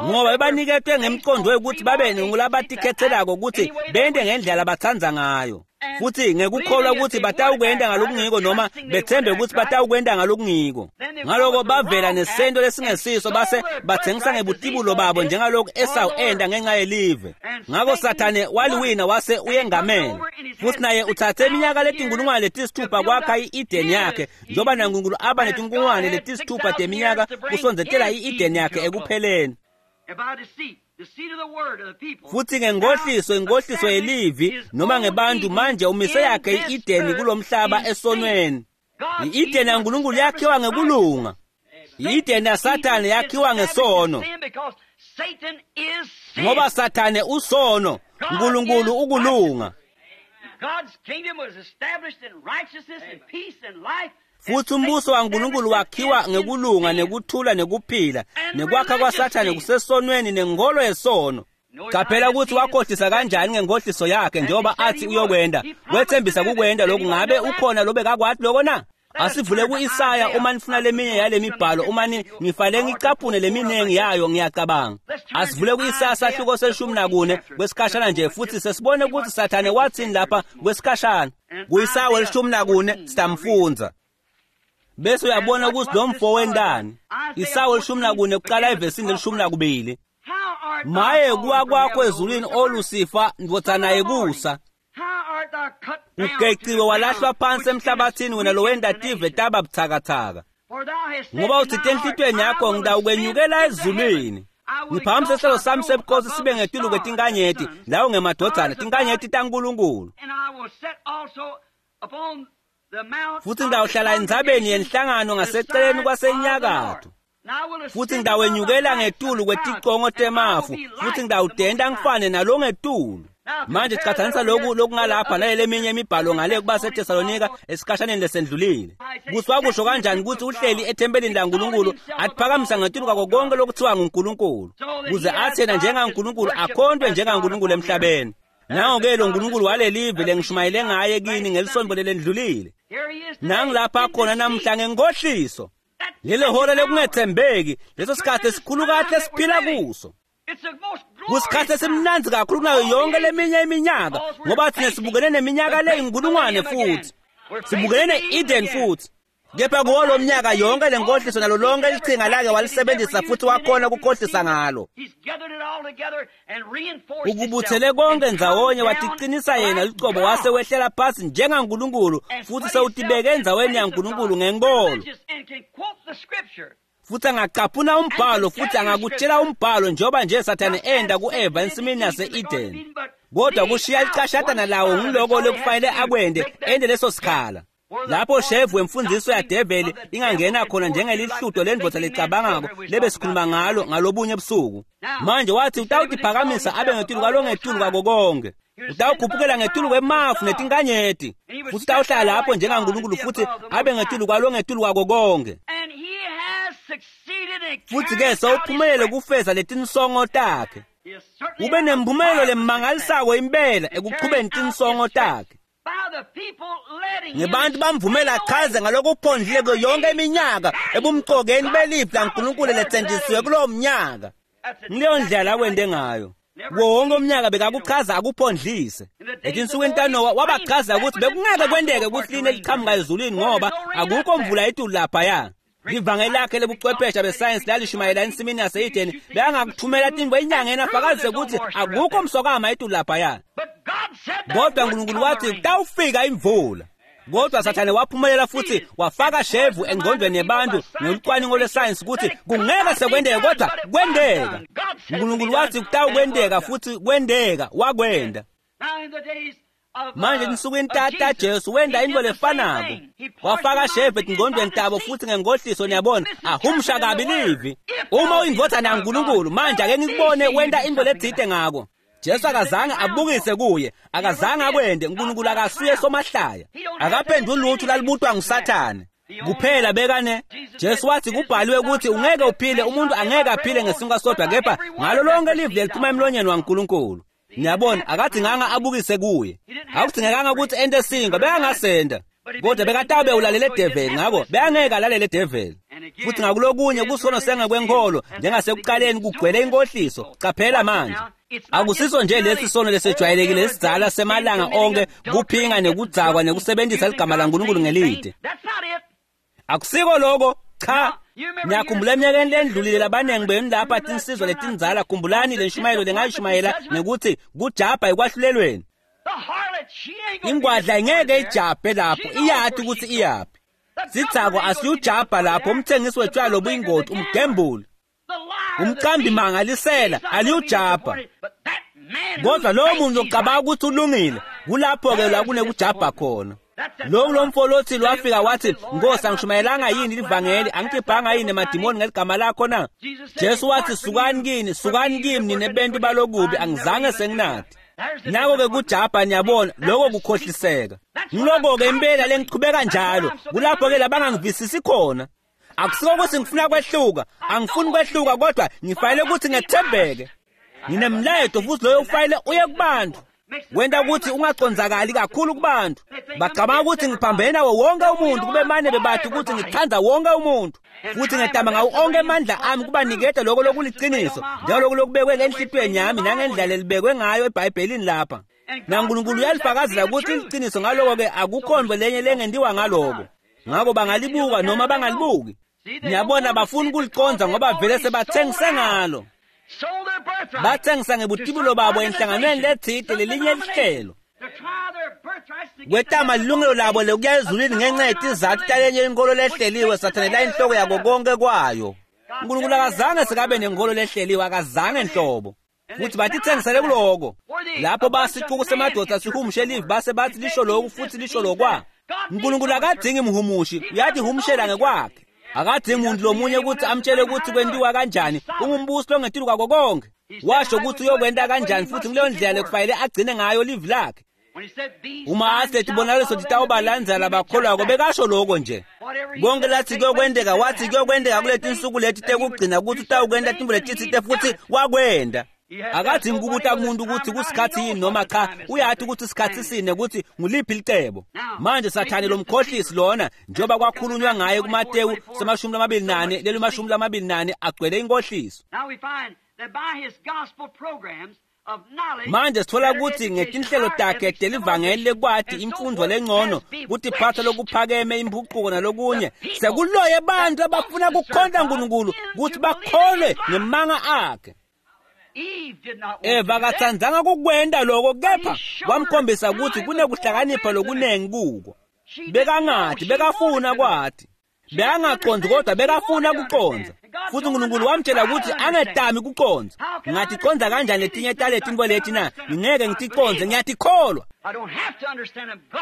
ngoba bebaniketwe ngemqondo wekuthi babe ngulabatikhetshelako ukuthi bente ngendlela abatsandza ngayo, futhi ngekukholwa ukuthi batawukwenda ngalokungiko noma bethembe ukuthi batawukwenda ngalokungiko. Ngaloko bavela nesento lesingesiso base bathengisa ngebutibulo babo njengalokhu Esawu enda ngenxa yelive. Ngakho Sathane waliwina wase uyengamela, futhi naye uthathe iminyaka letinkulungwane letisithupha kwakha i-Edeni yakhe, njengoba naNkulunkulu aba netinkulungwane letisithupha teminyaka kusondzetela i-Edeni yakhe ekupheleni. Futhi ngenkohliso, inkohliso yelivi noma ngebantu, manje umise yakhe i-Edeni kulomhlaba esonweni. I-Edeni yaNkulunkulu yakhiwa ngekulunga. I-Edeni yaSathane yakhiwa ngesono, ngoba Sathane usono, uNkulunkulu ukulunga. Futhi umbuso waNkulunkulu wakhiwa ngekulunga nekuthula nekuphila, nekwakha kwaSathane kusesonweni nenkolo yesono. Qaphela ukuthi wakhohlisa kanjani ngenkohliso yakhe, njengoba athi uyokwenda. Wethembisa kukwenda lokhu. Ngabe ukhona lobekakwathi lokho na? Asivule ku-Isaya uma nifuna leminye yale mibhalo, uma ngifale ngicaphune leminingi yayo, ngiyacabanga. Asivule ku-Isaya sahluko se-14 kwesikhashana nje, futhi sesibone ukuthi Sathane wathini lapha kwesikhashana. Ku-Isaya we-14 sitamfundza, bese uyabona ukuthi lo mfo wendani. Isaya we-14 kuqala evesini le-12. Maye kuwa kwakho ezulwini, O Lusifa, ndvodzana yekusa, ugeciwe walahlwa phansi emhlabathini, wena lowenda tive taba buthakathaka. Ngoba uthite enhlitiyweni yakho, ngitawukwenyukela ezulwini, ngiphakamise isihlalo sami sebukhosi sibe ngetulu kwetinkanyeti, lawo ngemadvodzana tinkanyeti taNkulunkulu. Futhi ngitawuhlala entsabeni yenhlangano ngaseceleni kwasenyakatho. Futhi ngitawenyukela ngetulu kweticongo temafu, futhi ngitawutenta ngifane nalo ngetulu. Manje chathanisa lokhu lokungalapha nale leminye imibhalo ngale kuba seThesalonika esikhashaneni lesendlulile. Kuthi wakusho kanjani ukuthi uhleli ethempelini laNkulunkulu atiphakamisa ngetulu kwako konke lokuthiwa nguNkulunkulu, kuze athi yena njengaNkulunkulu akhontwe njengaNkulunkulu emhlabeni. Nango-ke lo Nkulunkulu walelive lengishumayele ngaye kini ngelisonto lelendlulile. Nangilapha khona namhla ngenkohliso. Lelo hora lekungethembeki, leso sikhathi esikhulu kahle esiphila kuso. Kusikhathi esimnandzi kakhulu kunayo yonke leminye iminyaka, ngoba thina sibukene neminyaka leyinkulungwane futhi. Sibukene ne-Eden futhi. Kepha kuwo lo mnyaka yonke le nkohliso nalo lonke lichinga lake walisebenzisa futhi wakhona ukukhohlisa ngalo. Ukubuthele konke ndzawonye watiqinisa yena lucobo wase wehlela phasi njengaNkulunkulu futhi sewutibeke endzaweni yaNkulunkulu ngenkolo. Futhi angacaphuna umbhalo futhi angakutshela umbhalo njengoba nje Sathane enda ku-Eva ensimini yase-Eden. Kodwa kushiya licashatana lawo ngiloko lokufanele akwende ende leso sikhala. Lapho shevu wemfundiso yadeveli ingangena khona njengelihludo lendvodza lecabangako lebe sikhuluma ngalo ngalobunye ebusuku. Manje wathi utawutiphakamisa abe ngetulu kwalongetulu kwako konke. Utawukhuphukela ngetulu kwemafu netinkanyeti. Futhi utawuhlala lapho njengaNkulunkulu futhi abe ngetulu kwalongetulu kwako konke. Futhi-ke sewuphumelele kufeza letinsongo takhe. Ube nemphumelo lemangalisako impela ekuchubeni tinsongo takhe. Ngebantu bamvumela achaze ngalokuphondlile kuyo yonke iminyaka ebumcokeni belivi laNkulunkulu letsenjisiwe kulowo mnyaka. Ngileyo ndlela akwente ngayo. Kuwo wonke umnyaka bekakuchaza akuphondlise. Etinsukwini taNowa wabachaza ukuthi bekungeke kwenteke ukuthi line liqhamuka ezulwini ngoba akukho mvula etulu laphaya. Livangeli lakhe lobuchwepheshe besayensi lalishumayela ensimini yase-Edeni bekangakuthumela tintfo enyangeni afakazise ukuthi akukho mswakama etulu laphaya. Kodwa uNkulunkulu wathi kutawufika imvula. Kodwa Sathane waphumelela futhi wafaka shevu engqondweni yebantu ngolucwaningo lwesayensi ukuthi kungeke sekwenteke, kodwa kwenteka. uNkulunkulu wathi kutawukwenteka futhi kwenteka, wakwenta. Manje ensukwini tata Jesu wenda into lefanako. Wafaka shevu etingqondweni tabo futhi ngenkohliso niyabona ahumusha kabi livi. Uma uyindvodzana yaNkulunkulu manje ake ngikubone wenta into letsite ngako. Jesu akazange abukise kuye, akazange akwende. uNkulunkulu akasuye somahlaya. Akaphenduli lutho lalibutwa nguSathane. Kuphela bekane Jesu wathi kubhaliwe ukuthi ungeke uphile, umuntu angeke aphile ngesinkwa sodwa kepha ngalo lonke livi leliphuma emlonyeni waNkulunkulu. Niyabona, akadinganga abukise kuye. Akudingekanga ukuthi ente sinkwa, bekangasenda. Kodwa bekatabe ulalele develi, ngakho bekangeke alalele develi. Futhi ngakulokunye kusono sengekwenkolo njengasekuqaleni kugcwele inkohliso. Qaphela manje. Akusiso nje lesi sono lesejwayelekile esidzala semalanga onke kuphinga nekudzakwa nekusebenzisa ligama laNkulunkulu ngelide. Akusiko lokho, cha. Niyakhumbula eminyakeni lendlulile labanengi benu lapha tinsizwa letindzala, khumbulani le nshumayelo lengayishumayela ngekuthi kujabha ekwahlulelweni. Ingwadla ingeke ijabhe lapho, iyati ukuthi iyaphi. Sidzakwa asiyujabha lapho, umthengisi wetshwala lobuyingoti, umgembuli, umqambi mangalisela aliyujabha. Kodwa lowo muntu ocabanga ukuthi ulungile, kulapho-ke la kunekujabha khona. Lo lomfolothi lwafika wathi, Nkosi, angishumayelanga yini livangeli, angikhiphanga yini emadimoni ngeligama lakho na? Jesu wathi, sukani kini, sukani kimi nine bentu balokubi, angizange senginathi. Nako-ke kujabha niyabona, lokho kukhohliseka. Ngiloko-ke impela lengichubeka njalo, kulapho-ke labangangivisisi khona. Akusiko ukuthi ngifuna kwehluka, angifuni kwehluka, kodwa ngifanele ukuthi ngethembeke. Nginemlayeto futhi loyo ufanele uye kubantu. Wenta ukuthi ungacondzakali kakhulu kubantu. Bacabanga ukuthi ngiphambene nawo wonke umuntu, kube mane bebathi ukuthi ngithanda wonke umuntu. Futhi ngetama ngawo onke amandla ami kubaniketa lokho lokuliciniso, njengalokhu lokubekwe enhlitiyweni yami nangendlela elibekwe ngayo eBhayibhelini lapha. NaNkulunkulu uyalifakazela ukuthi iliciniso, ngaloko-ke akukho nto lenye lengentiwa ngaloko. Ngakho bangalibuka noma bangalibuki. Niyabona, bafuna ukuliconza ngoba vele sebathengise ngalo. Bathengisa ngebutibulo babo enhlanganweni letsite lelinye lihlelo. Kwetama lilungelo labo lokuya ezulwini ngenxa yetizathu talenye inkolo lehleliwe. Sathane la inhloko yako konke kwayo. uNkulunkulu akazange sekabe nenkolo lehleliwe, akazange nhlobo. Futhi batithengisele kuloko. Lapho basixuku semadoda sihumushe livi base bathi lisho lokhu futhi lisho lokwa. uNkulunkulu akadingi mhumushi, uyatihumushela ngekwakhe. Akadzingi muntu lomunye ukuthi amtshele ukuthi kwentiwa kanjani. Ungumbusi longetulu kwako konke. Washo ukuthi uyokwenta kanjani futhi kuleyo ndlela lekufanele agcine ngayo livi lakhe. Uma athi letibonakaliso titawubalandzela labakholwako, bekasho loko nje. Konke lathi kuyokwenteka, wathi kuyokwenteka kuleti nsuku leti tekugcina ukuthi utawukwenta tintfo letitsite futhi wakwenta. Akadzingi kubuta kumuntu ukuthi kusikhathi yini noma cha, uyati ukuthi isikhathi sini ukuthi nguliphi licebo. Manje Sathane lomkhohlisi lona njengoba kwakhulunywa ngaye kuMateyu 24 leli 24 agcwele inkohliso. Manje sithola ukuthi ngetinhlelo takhe telivangeli lekwati imfundo lengcono, kutiphatha lokuphakeme, impucuko nalokunye, sekuloye bantu abafuna kukhonta uNkulunkulu ukuthi bakholwe ngemanga akhe. Eva akatsandzanga kukwenta loko, kepha wamkhombisa ukuthi kunekuhlakanipha lokunengi kuko. Bekangati, bekafuna kwati. Bekangaqondi kodwa bekafuna kucondza. Futhi uNkulunkulu wamtshela ukuthi angetami kucondza. Ngingaticonza kanjani letinye taletintfo leti na? Ngingeke ngiticondze, ngiyatikholwa.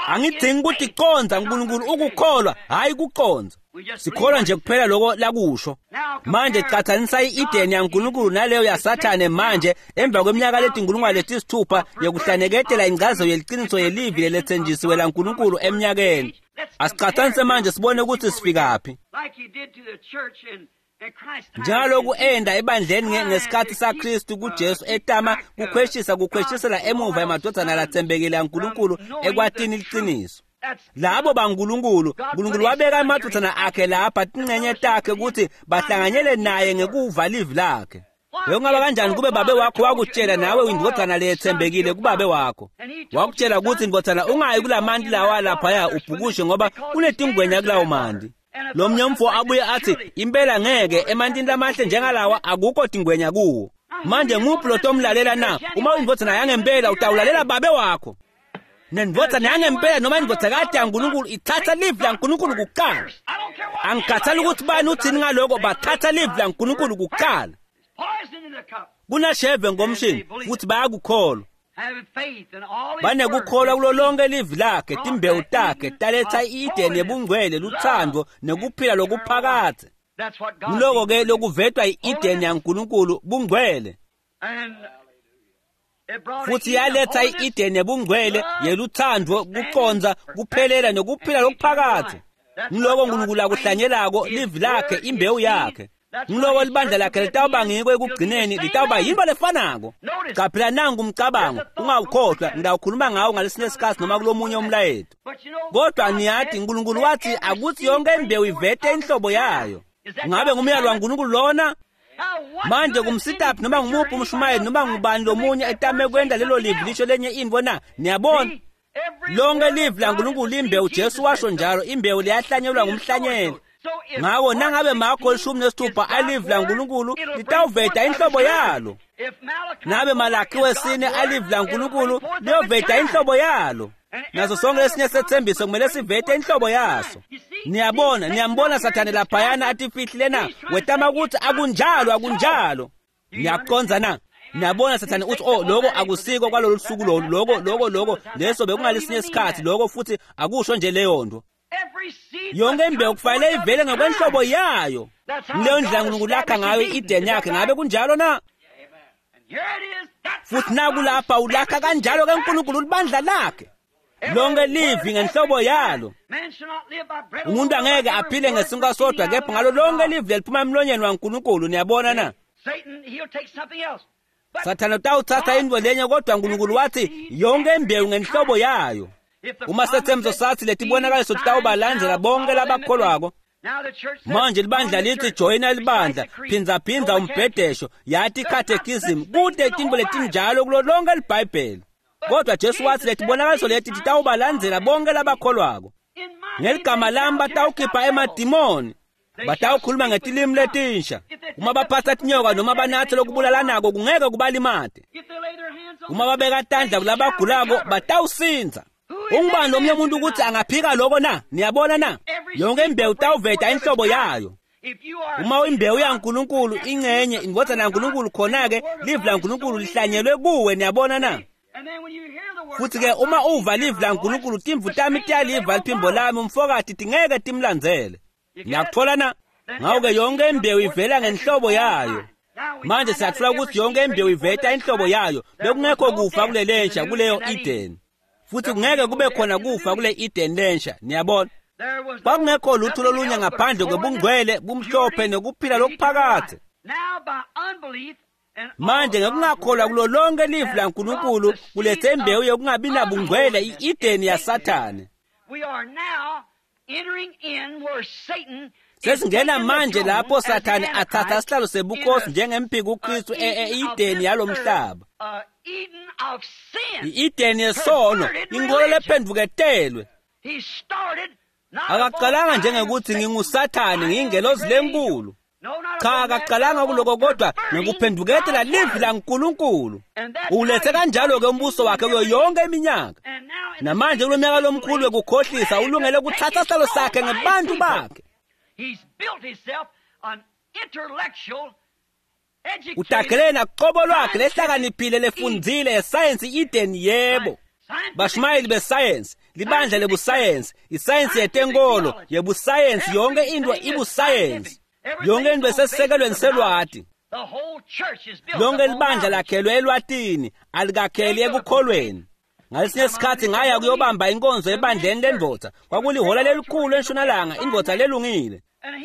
Angidzingi kuticondza, uNkulunkulu ukukholwa, hhayi kucondza. Sikholwa nje kuphela loko lakusho. Manje catsanisa i-Eden yaNkulunkulu naleyo yaSathane manje emva kweminyaka letinkulungwane letisithupha yekuhlaneketela incazelo yeliciniso yelivi leletsenjisiwe laNkulunkulu eminyakeni. Asicatsanise manje sibone ukuthi sifikaphi. Njengaloku enda ebandleni ngesikhathi saKristu kuJesu etama kukhweshisela emuva emadvodzana latsembekile aNkulunkulu ekwatini liciniso. Labo baNkulunkulu, uNkulunkulu wabeka emadvodzana akhe lapha tincenye takhe ukuthi bahlanganyele naye ngekuva livi lakhe. Bekungaba kanjani kube babe wakho wakutshela nawe indvodzana leyetsembekile kubabe wakho? Wakutshela ukuthi ndvodzana ungayi kulamanti lawa laphaya ubhukushe ngoba kunetingwenya kulawo manti. Lo mnye abuye athi impela ngeke emantini lamahle njengalawa akukho tingwenya kuwo. Manje nguphi lotomlalela na? Uma uyindvodzana yangempela utawulalela babe wakho. Nendvodzana yangempela noma indvodzakati yaNkulunkulu ithatha livi laNkulunkulu kuqala. Angikhathali ukuthi bani uthini ngaloko, bathatha livi laNkulunkulu kuqala. Kunasheve ngomshini futhi bayakukholwa. Banekukholwa kulo lonke livi lakhe, timbewu takhe taletha i-Eden yebungcwele, luthando nekuphila lokuphakadze. Nguloko ke lokuvetwa i-Eden yaNkulunkulu, bungcwele. Futhi yaletha i-Eden yebungcwele yeluthando, kucondza, kuphelela nekuphila lokuphakadze. Nguloko uNkulunkulu akuhlanyelako, livi lakhe, imbewu yakhe. Nguloko libandla lakhe litawuba ngiko ekugcineni, litawuba yinto lefanako. Qaphela nangu umcabango, ungawukhohlwa, ngitawukhuluma ngawo ngalesinye isikhathi noma kulomunye umlayeto. Kodwa niyati uNkulunkulu wathi akuthi yonke imbewu ivete inhlobo yayo. Ngabe ngumyalo waNkulunkulu lona? Manje kumsitaphi noma ngumuphi umshumayeli noma ngubani lomunye etame kwenta lelo livi lisho lenye intfo na? Niyabona? Lonke livi laNkulunkulu limbewu, Jesu washo njalo, imbewu liyahlanyelwa ngumhlanyeli. Ngako nangabe Marko 16 alivi laNkulunkulu litawuveta inhlobo yalo. Nabe Malakhi 4 alivi laNkulunkulu liyoveta inhlobo yalo. Naso sonke lesinye sethembiso kumele sivete inhlobo yaso. Niyabona, niyambona Sathane laphayana atifihlile na? Wetama ukuthi akunjalo, akunjalo. Niyaqondza na? Niyabona Sathane uthi oh lokho akusiko kwalolu suku lolu, lokho lokho lokho leso bekungalesinye isikhathi lokho futhi akusho nje leyo nto. Yonke imbewu kufanele ivele ngokwenhlobo yayo. Leyo ndlela uNkulunkulu lakha ngayo i-Eden yakhe, ngabe kunjalo na? Futhi nakulapha ulakha kanjalo ke uNkulunkulu libandla lakhe. Lonke livi ngenhlobo yalo. Umuntu angeke aphile ngesinkwa sodwa kepha ngalo lonke livi leliphuma emlonyeni waNkulunkulu, niyabona na? Sathane utawuthatha intfo lenye kodwa uNkulunkulu wathi yonke imbewu ngenhlobo yayo. Uma sethembiso sathi letibonakaliso titawubalandzela bonke labakholwako. Manje libandla lithi joyina libandla, phindzaphindza umbhedesho, yathi catechism, kute tintfo letinjalo kulo lonke liBhayibheli. Kodwa Jesu wathi letibonakaliso leti titawubalandzela bonke labakholwako. Ngeligama lami batawukhipha emadimoni, batawukhuluma ngetilimi letinsha. Uma baphatsa tinyoka noma banatse lokubulalanako kungeke kubalimate. Uma babeka tandla kulabagulako batawusindza. Ungubani lomunye umuntu ukuthi angaphika lokho na? Niyabona na? Yonke imbewu tawuveta inhlobo yayo. Uma imbewu yaNkulunkulu ingcenye indvodzana yaNkulunkulu, khona-ke livi laNkulunkulu lihlanyelwe kuwe, niyabona na? Futhi ke uma uva livi laNkulunkulu, timvu tami tiyaliva liphimbo lami, umfokati tingeke timlandzele. Niyakuthola na? Ngakho-ke yonke imbewu ivela ngenhlobo yayo. Manje siyathola ukuthi yonke imbewu iveta inhlobo yayo. Bekungekho kufa kule lensha kuleyo Eden, futhi kungeke kube khona kufa kule Eden lensha. Niyabona, kwakungekho lutho lolunye ngaphandle kwebungcwele, bumhlophe nokuphila lokuphakade. Manje ngekungakholwa kulo lonke livi laNkulunkulu kulethe imbewu yokungabi nabungcwele, i-Edeni yaSathane. Sesingena manje lapho Sathane athatha sihlalo sebukhosi njengemphiki uKristu e-Edeni yalomhlaba, i-Edeni yesono, inkolo lephenduketelwe. Akaqalanga njengekuthi nginguSathane, ngiyingelozi lenkulu. Cha, akaqalanga kuloko, kodwa ngekuphenduketela livi laNkulunkulu. Ulethe kanjalo-ke umbuso wakhe kuyo yonke iminyaka. Namanje kulo myaka lomkhulu wekukhohlisa ulungele ukuthatha sihlalo sakhe ngebantu bakhe. Utagelele nakuqobo lwakhe lehlakaniphile lefundzile yesayensi i-Eden. Yebo, bashumayeli besayensi, libandla lebusayensi, isayensi yetenkolo yebusayensi, yonke into ibusayensi, yonke into esesisekelweni selwati. Lonke libandla lakhelwe elwatini, alikakheli ekukholweni. Ngalesinye isikhathi ngaya kuyobamba inkonzo ebandleni lendvodza. Kwakulihola lelikhulu entshonalanga, indvodza lelungile,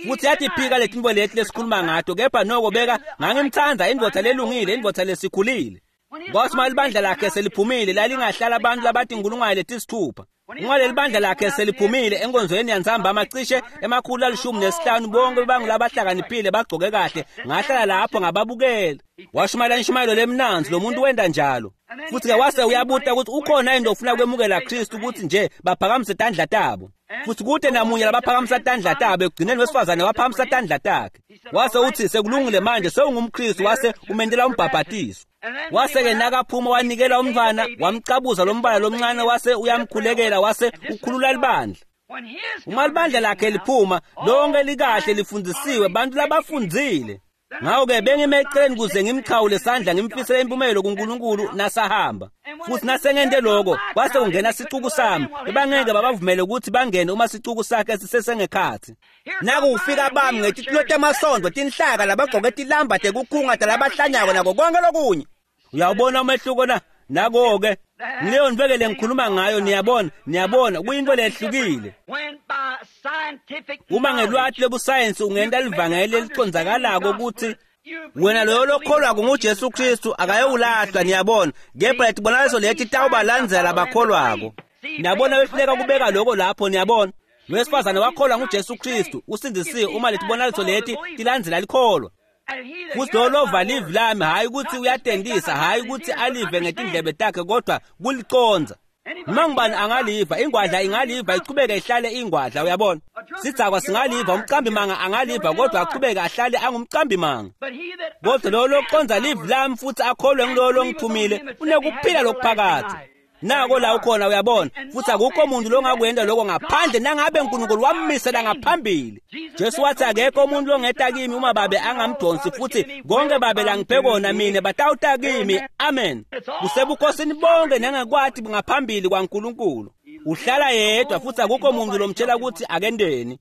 futhi yathi phika letinto leti lesikhuluma ngato, kepha noko beka ngangimtsandza, indvodza lelungile, indvodza lesikhulile. Kwathi uma libandla lakhe seliphumile, lalingahlala abantu labatinkulungwane letisithupha. Uma leli bandla lakhe seliphumile enkonzweni yantsambama, cishe 115, bonke bangulabahlakaniphile, bagcoke kahle. Ngahlala lapho ngababukela. Washumayela inshumayelo lemnandzi lo muntu, wenda njalo. Futhi-ke wase uyabuta ukuthi ukhona yini ofuna kwemukela Kristu, ukuthi nje baphakamise tandla tabo, futhi kude namunye labaphakamisa tandla tabo. Ekugcineni wesifazane waphakamisa tandla takhe. Wase uthi, "Sekulungile manje, sewungumKristu." Wase umendela umbhabhatiso. Wase-ke nakaphuma wanikela umntfwana, wamcabuza lo mbala lomncane, wase uyamkhulekela, wase ukhulula libandla. Uma libandla lakhe liphuma lonke likahle lifundisiwe, bantu labafundzile. Ngakho-ke bengime eceleni kuze ngimchawule sandla, ngimfisele impumelo kuNkulunkulu nasahamba. Futhi nasengente lokho, kwase kungena sicuku sami. Bebangeke babavumele ukuthi bangene uma sicuku sakhe sisesengekhathi. Naku kufika bami ngetitulo temasondo, tinhlaka, labagcoke tilamba tekukhunga talabahlanyako nako konke lokunye. Uyawubona umehluko na? Nako-ke ngileyo ntweke lengikhuluma ngayo. Niyabona, niyabona, kuyinto lehlukile. Uma ngelwati lobusayensi ungenta livangeli leliconzakalako ukuthi wena loyo lokholwako nguJesu Kristu akayowulahlwa, niyabona, kepha letibonakaliso leti tawubalandzela bakholwako. Niyabona, wehluleka kubeka lokho lapho. Niyabona, wesifazane wakholwa nguJesu Kristu, usindisiwe. Uma letibonakaliso leti tilandzela likholwa. Futhi lowo lova livi lami, hhayi ukuthi uyatendisa, hhayi ukuthi alive ngetindlebe takhe, kodwa kuliconza. Noma ngubani angaliva, ingwadla ingaliva ichubeke ihlale ingwadla, uyabona. Sidzakwa singaliva, umcambi manga angaliva, kodwa achubeke ahlale angumcambi manga. Kodwa lowo loconza livi lami futhi akholwe ngilowo longithumile unekuphila lokuphakadze. Nako la ukhona, uyabona. Futhi akukho muntu longakwenda lokho ngaphandle nangabe uNkulunkulu wammisela ngaphambili. Jesu wathi, "Akekho umuntu longeta kimi uma Babe angamdonsi, futhi konke Babe langiphe kona mina batawuta kimi." Amen. Kusebukhosini bonke nengekwati ngaphambili kwaNkulunkulu. Uhlala yedwa, futhi akukho muntu lomtshela ukuthi akendeni.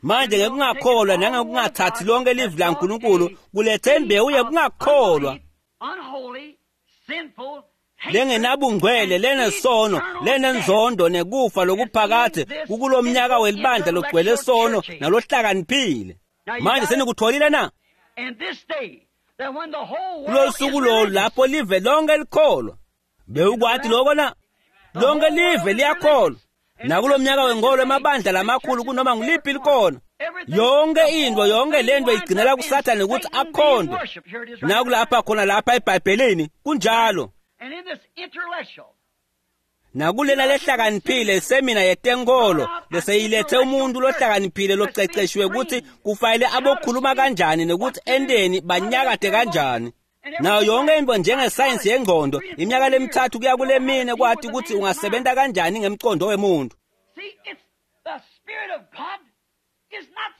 Manje ngekungakholwa nangekungathathi lonke livi laNkulunkulu kulethe imbewu yekungakholwa lengenabungcwele, lenesono, lenenzondo nekufa lokuphakade kukulo mnyaka welibandla logcwele sono nalohlakaniphile. Manje senikutholile na? Kulolu suku lolu lapho live lonke likholwa. Bewukwati lokho na? Lonke live liyakholwa nakulo mnyaka wenkolo, emabandla lamakhulu kunoma nguliphi likona. Yonke into, yonke lento igcinela kuSathane ukuthi akhondwe. Nakulapha khona lapha eBhayibhelini kunjalo. Nakulela lehlakaniphile semina yetenkolo leseyilethe umuntu lohlakaniphile loceceshiwe ukuthi kufanele abokhuluma kanjani nokuthi enteni, banyakade kanjani, nayo yonke into njengesayensi yengqondo, iminyaka lemithathu kuya kule mine, kwathi ukuthi ungasebenta kanjani ngemcondo wemuntu.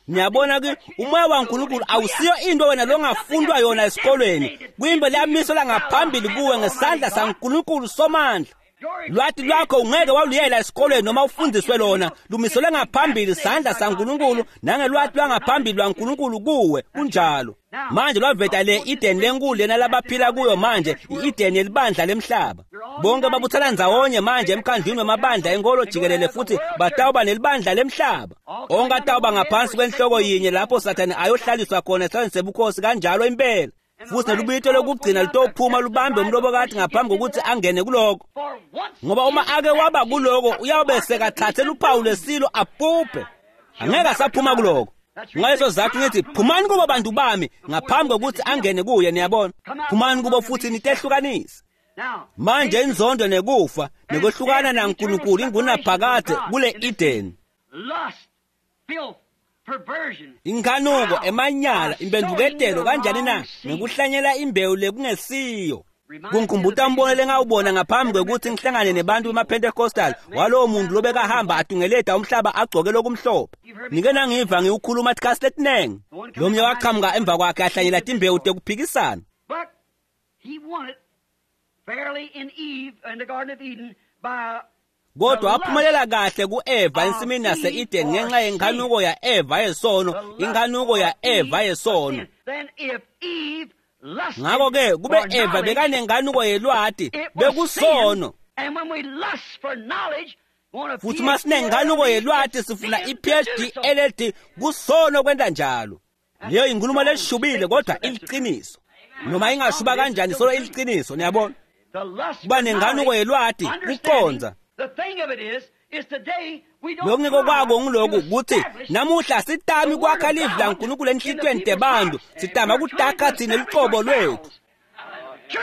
Niyabona ke, umoya waNkulunkulu awusiyo into wena longafundwa yona esikolweni. Kuyinto leyamiselwa ngaphambili kuwe ngesandla saNkulunkulu Somandla. Lwati lwakho ungeke waluyela esikolweni noma ufundiswe lona, lumiselwe ngaphambili sandla saNkulunkulu nangelwati lwangaphambili lwaNkulunkulu kuwe. Kunjalo. Manje lwaveta le Eden lenkulu lena labaphila kuyo manje, i-Eden yelibandla lemhlaba. Bonke babuthana ndzawonye manje emkhandlwini wemabandla enkolo jikelele futhi batawuba nelibandla lemhlaba. Onke atawuba ngaphansi kwenhloko yinye lapho Sathane ayohlaliswa khona esihlalweni sebukhosi kanjalo impela. Futhi nelubito lokugcina litophuma lubambe umlobokati ngaphambi kokuthi angene kuloko. Ngoba uma ake waba kuloko uyawube sekathathe luphawu lwesilo abhubhe. Angeke asaphuma kuloko. Ngaleso sizathu ngithi phumani kubo bantu bami ngaphambi kokuthi angene kuye, niyabona. Phumani kubo futhi nitehlukanise. Manje inzondo nekufa nekwehlukana naNkulunkulu ingunaphakade kule Eden. Inkanuko, emanyala, impendvuketelo kanjani na ngekuhlanyela imbewu lekungesiyo. Kungikhumbuta umbono lengawubona ngaphambi kwekuthi ngihlangane nebantu bema-Pentecostal walowo muntu lobekahamba atungeleta umhlaba agcoke lokumhlophe. Nike nangiva ngiwukhuluma tikhatsi letinengi. Lomnye waqhamuka emva kwakhe ahlanyela timbewu tekuphikisana. Kodwa waphumelela kahle ku-Eva ensimini yase-Eden ngenxa yenkanuko ya-Eva yesono, inkanuko ya-Eva yesono. Ngakho-ke kube Eva bekanenkanuko yelwati, bekusono. Futhi uma sinenkanuko yelwati sifuna i-PhD, LLD, kusono kwenta njalo. Leyo inkulumo leshubile kodwa iliqiniso. Noma ingashuba kanjani solo iliqiniso, niyabona. Kuba nenkanuko yelwati, kucondza. Lokungiko kwako ngiloku ukuthi namuhla sitami kwakha livi laNkulunkulu enhlitiyweni tebantu, sitama kutakha thina lucobo lwethu.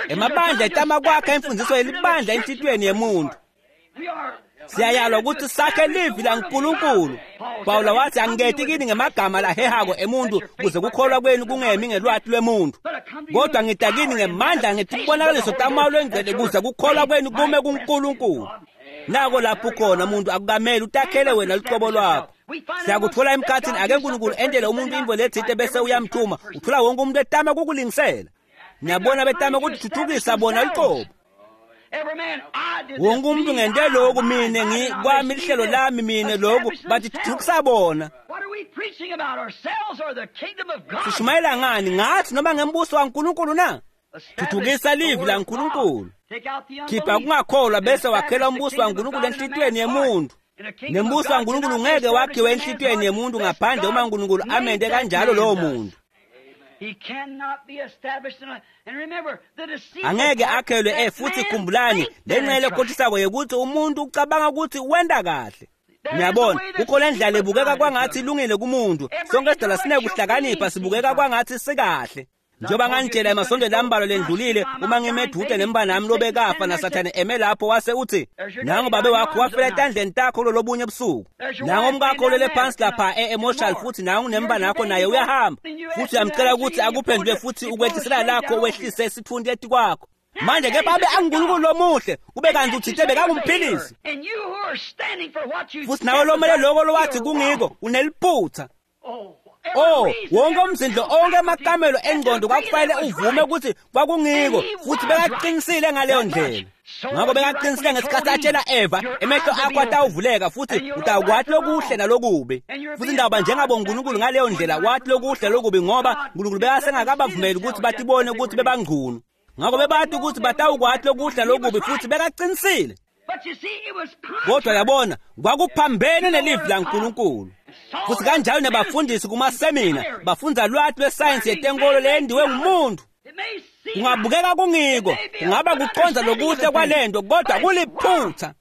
Emabandla etama kwakha imfundiso yelibandla enhlitiyweni yemuntu. Siyayalwa ukuthi sakhe livi laNkulunkulu. Pawula wathi angiketi kini ngemagama lahehako emuntu kuze kukholwa kwenu kungemi ngelwati lwemuntu, kodwa ngita kini ngemandla ngetibonakaliso taMoya Longcwele kuze kukholwa kwenu kume kuNkulunkulu. Nako lapho khona umuntu akukameli utakhele wena lucobo lwakho. Siyakuthola emkhathini ake uNkulunkulu entele umuntu intfo letsite bese uyamthuma, uthola wonke umuntu etama kukulingisela. Niyabona betama kutithuthukisa bona lucobo. Wonke umuntu ngente lokhu mine ngikwami lihlelo lami mine lokhu bathi thuthukisa bona. Sishumayela ngani ngathi noma ngembuso waNkulunkulu na? Thuthukisa livi laNkulunkulu. Khipha kungakholwa bese wakhela umbuso waNkulunkulu enhlitiyweni yemuntu. Nembuso waNkulunkulu ngeke wakhiwe enhlitiyweni yemuntu ngaphandle uma uNkulunkulu amente kanjalo lowo muntu. Angeke akhelwe futhi khumbulani lengxenye lekhohlisako yekuthi umuntu ucabanga ukuthi wenta kahle. Niyabona kukhona indlela ebukeka kwangathi ilungile kumuntu. Sonke sidala sinekuhlakanipha sibukeka kwangathi sikahle. Njengoba nganitshela emasontweni lambalwa lendlulile uma ngime edude nembani nami lobekafa naSathane eme lapho wase uthi nango babe wakho wafela etandleni takho lolobunye ebusuku, nango umkakho olele phansi lapha e-emoshal futhi nango nembani wakho naye uyahamba futhi uyamcela ukuthi akuphendule futhi ukwehlisela lakho wehlise isithunti etikwakho. Manje ke babe anguNkulunkulu lomuhle kube kanti uthinte bekangumphilisi futhi nawe lomele loko lowathi kungiko uneliphutha. Oh, wonke umzindlo onke amakamelo engqondo kwakufanele uvume ukuthi kwakungiko futhi bekaqinisile ngaleyo ndlela. Ngakho bekaqinisile ngesikhathi atshela Eva, emehlo akho atawuvuleka futhi utawukwathi lokuhle nalokubi. Futhi ndaba njengabo uNkulunkulu ngaleyo ndlela wathi lokuhle lokubi ngoba uNkulunkulu bekasengakabavumeli ukuthi batibone ukuthi bebangcunu. Ngakho bebathi ukuthi batawukwathi lokuhle nalokubi futhi bekaqinisile. Kodwa yabona kwakuphambene nelivi laNkulunkulu. Futhi kanjalo nabafundisi kumasemina bafunza lwati lwesayensi yetenkolo leyendiwe ngumuntu. Kungabukeka kungiko, kungaba kuconza lokuhle kwalento kodwa kuliphutha.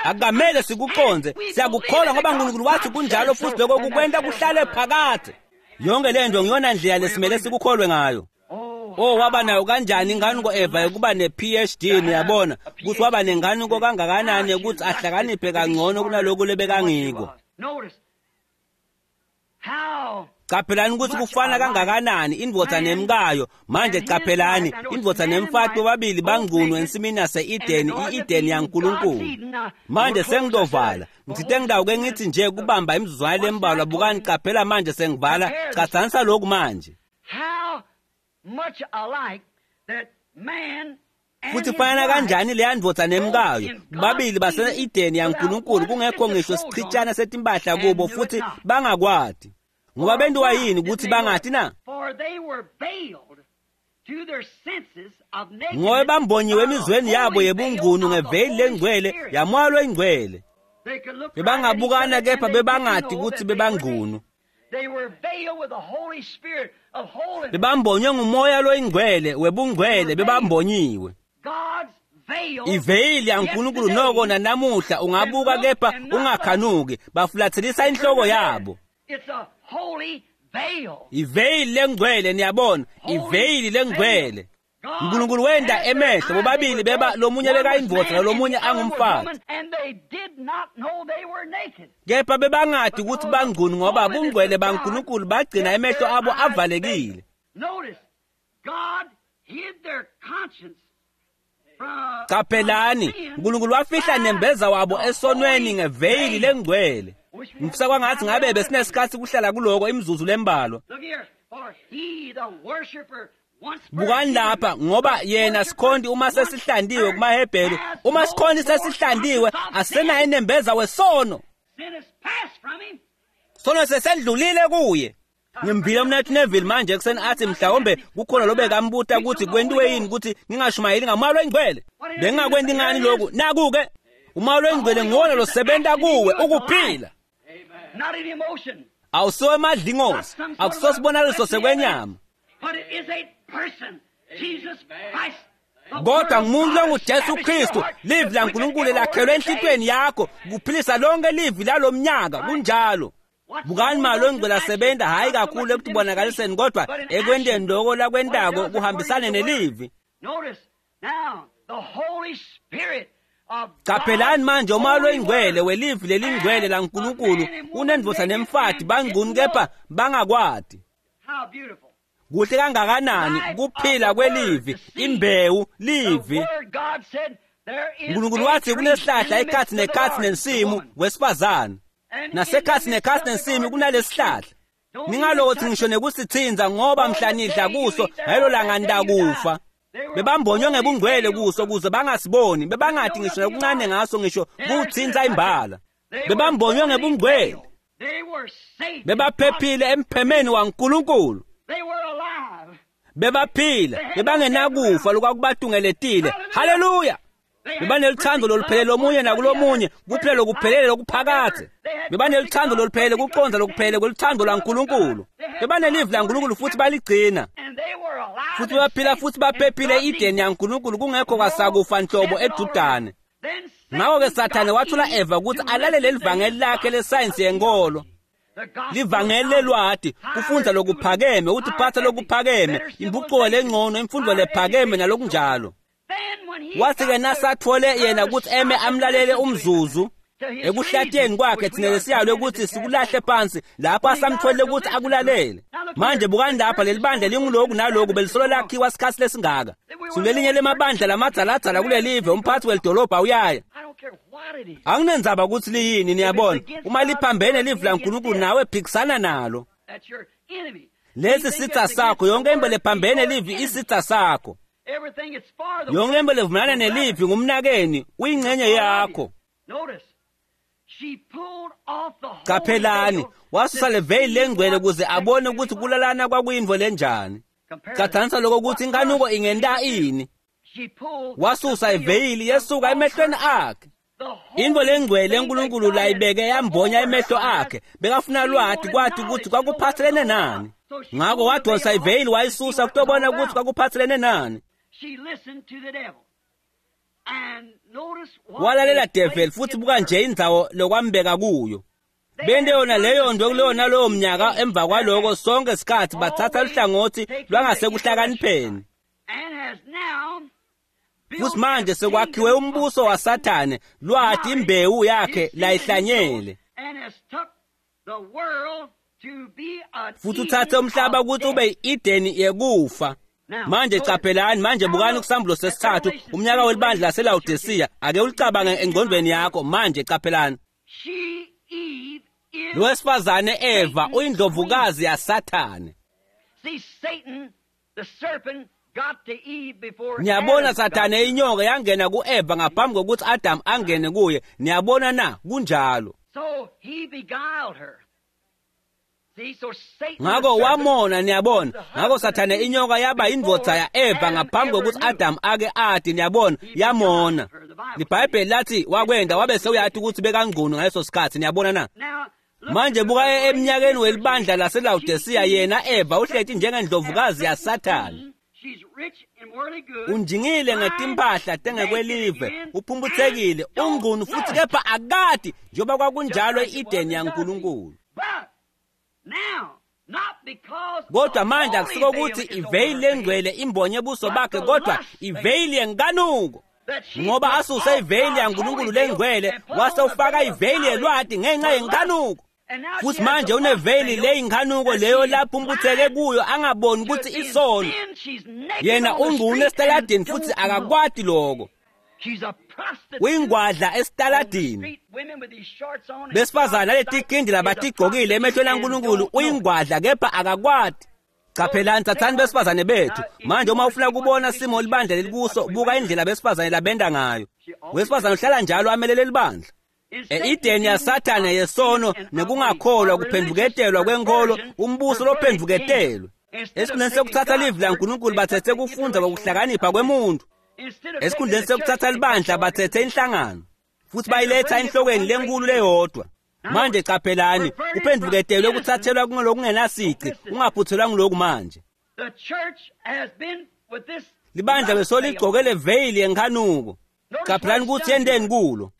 Akukamele sikuconze, siyakukholwa ngoba uNkulunkulu wathi kunjalo futhi lokho kukwenta kuhlale phakade. Yonke lento ngiyona ndlela lesimele sikukholwe ngayo. Oh, waba nayo kanjani inkanuko Eva yokuba ne-PhD, niyabona ukuthi waba nenkanuko kangakanani ukuthi ahlakaniphe kangcono kunalokhu lebekangiko. Caphelani ukuthi kufana kangakanani indvodza nemkayo. Manje caphelani indvodza nemfati bobabili bangcunu ensimini yase-Eden, i-Eden yaNkulunkulu. Manje sengitovala ngithite ngidawuke ngithi nje kubamba imizuzwana lembalwa. Bukani, caphela manje sengivala. Catsanisa lokhu manje. Much alike that man Futhi fanana kanjani leya ndvodza nemkayo, babili base-Edeni yaNkulunkulu, kungekho ngisho sichitshana setimpahla kubo, futhi bangakwati. Ngoba bentiwa yini ukuthi bangati na? Ngoba bambonyiwe emizweni yabo yebungunu ngeveyili lengcwele yaMoya loyiNgcwele. Bebangabukana kepha bebangati ukuthi bebangcunu. Bebambonywe nguMoya loyiNgcwele webungcwele, bebambonyiwe. Iveyili yaNkulunkulu noko nanamuhla ungabuka kepha ungakhanuki, bafulathelisa inhloko yabo. Iveyili lengcwele, niyabona, iveyili lengcwele. uNkulunkulu wenda emehlo bobabili beba lomunye bekayindvodza nalomunye angumfati. Kepha bebangati ukuthi bangcunu ngoba bungcwele baNkulunkulu bagcina emehlo abo avalekile. Qaphelani, uNkulunkulu wafihla nembeza wabo esonweni ngeveyili lengcwele. Ngifisa kwangathi ngabe besinesikhathi kuhlala kuloko imizuzu lembalwa. Bukani lapha, ngoba yena sikhonti uma sesihlandiwe kumaHebheru, uma sikhonti sesihlandiwe asenaye nembeza wesono. Sono sesendlulile kuye. Ngimvile umnethu Neville manje ekuseni athi mhlawumbe kukhona lobekambuta ukuthi kwentiwe yini ukuthi ngingashumayeli ngaMoya loyiNgcwele. Bengingakwenti ngani lokhu? Naku-ke uMoya loyiNgcwele nguwona losebenta kuwe ukuphila. Awusiwo emadlingozi, akusosibonakaliso sekwenyama. Kodwa ngumuntu longuJesu Kristu, livi laNkulunkulu lakhelwe enhlitweni yakho kuphilisa lonke livi lalomnyaka. Kunjalo. Bukani Moya loyiNgcwele asebenta hhayi kakhulu ekutibonakaliseni kodwa ekwenteni loko lakwentako kuhambisane nelivi. Qaphelani manje uMoya loyiNgcwele welivi lelingcwele laNkulunkulu unendvodza nemfati bangcunu kepha bangakwati. Kuhle kangakanani kuphila kwelivi, imbewu livi. uNkulunkulu wathi kunesihlahla ekhathi nekhathi nensimu wesifazane, nasekhathi nekhathi nensimu kunalesihlahla. Ningalothi ngisho nekusithinza ngoba mhla nidla kuso ngalelo langa nitakufa. Bebambonywe ngebungcwele kuso kuze bangasiboni, bebangati ngisho nokuncane ngaso ngisho kuthinza imbala. Bebambonywe ngebungcwele, bebaphephile emphemeni waNkulunkulu. Bebaphila, bebangenakufa lokwakubatungeletile. Haleluya! Bebaneluthando loluphelele lomunye nakulomunye, kuphila lokuphelele lokuphakadze. Bebaneluthando loluphelele, kucondza lokuphelele kweluthando lwaNkulunkulu. Bebanelivi laNkulunkulu futhi baligcina. Futhi baphila futhi baphephile e-Edeni yaNkulunkulu kungekho kwasakufa nhlobo edudane. Ngakho-ke Sathane wathola Eva ukuthi alalele livangeli lakhe lesayensi yenkolo. Livangeli lelwati, kufundza lokuphakeme, ukutiphatsa lokuphakeme, impucuko lengcono, imfundo lephakeme nalokunjalo. Wathi-ke nasathole yena ukuthi eme amlalele umzuzu ekuhlatsheni kwakhe, thina lesiyalwe ukuthi sikulahle phansi lapho asamtholile ukuthi akulalele. Manje bukani lapha, leli bandla linguloku naloku belisolo lakhiwa sikhathi lesingaka. Sulelinye lemabandla lamadzaladzala kulelive, umphathi welidolobha uyaya. Anginendzaba ukuthi liyini, niyabona. Uma liphambene livi laNkulunkulu nawe phikisana nalo. Lesi sitha sakho, yonke into lephambene livi isitha sakho. Yonke into levumelana nelivi ngumnakeni, uyingxenye yakho. Qaphelani, wasusa leveyili lengcwele ukuze abone ukuthi kulalana kwakuyintfo lenjani. Qathanisa lokho ukuthi inkanuko ingenta ini. Wasusa iveyili yesuka emehlweni akhe. Into lengcwele eNkulunkulu layibeke yambonya emehlo akhe, bekafuna lwati kwathi ukuthi kwakuphathelene nani. Ngakho wadonsa iveyili wayisusa kutobona ukuthi kwakuphathelene nani. Walalela devil futhi buka nje indzawo lokwambeka kuyo. Bente yona leyo nto kuleyo nalowo mnyaka. Emva kwaloko sonke sikhathi bathatha luhlangothi lwangasekuhlakanipheni. Futhi manje sekwakhiwe umbuso waSathane, lwati imbewu yakhe layihlanyele. Futhi uthathe umhlaba ukuthi ube i-Edeni yekufa. Manje qaphelani, manje bukani kusambulo sesithathu, umnyaka welibandla laseLawodisiya. Ake ulicabange engqondweni yakho manje, qaphelani. Lo wesifazane Eva uyindlovukazi yaSathane. Niyabona Sathane inyoka yangena ku-Eva ngaphambi kokuthi Adam angene kuye. Niyabona na? Kunjalo. Ngako wamona, niyabona. Ngako Sathane inyoka yaba indvodza ya-Eva ngaphambi kokuthi Adam ake ati, niyabona, yamona. LiBhayibheli lathi wakwenda wabe sewuyati ukuthi bekangcono ngaleso sikhathi, niyabona na? Manje buka eminyakeni welibandla laseLawodisiya, yena Eva uhleti njengendlovukazi yaSathane. Unjingile ngetimpahla tengekwelive, uphumputhekile, ungcunu futhi kepha akati njengoba kwakunjalo e-Edeni yaNkulunkulu. Kodwa manje akusiko ukuthi iveyili lengcwele imbonye buso bakhe, kodwa iveyili yenkanuko. Ngoba asuse iveyili yaNkulunkulu lengcwele wase ufaka iveyili yelwati ngenxa yenkanuko. Futhi manje uneveyili leyinkanuko leyo lapho umbutheke kuyo angaboni ukuthi isono. Yena ungcunu esitaladini futhi akakwati lokho. Uyingwadla esitaladini. Besifazane naletikhindi labatigqokile emehlweni aNkulunkulu, uyingwadla kepha akakwati. Qaphelani, thathani besifazane bethu. Manje uma ufuna kubona simo libandla lelikuso, buka indlela besifazane labenda ngayo. Wesifazane uhlala njalo amelele libandla. E-Edeni yaSathane yesono nekungakholwa kuphendvuketelwa kwenkolo, umbuso lophendvuketelwe. Esikhundleni sokuthatha livi laNkulunkulu bathethe kufundza kokuhlakanipha kwemuntu. Esikhundleni sokuthatha libandla bathethe inhlangano futhi bayiletha enhlokweni lenkulu leyodwa. Manje qaphelani, kuphendvuketelwe kuthathelwa kulokungenasici, ungaphuthelwa ngiloku manje. Libandla besoligcoke le veyili yenkanuko. Qaphelani ukuthi yenteni kulo.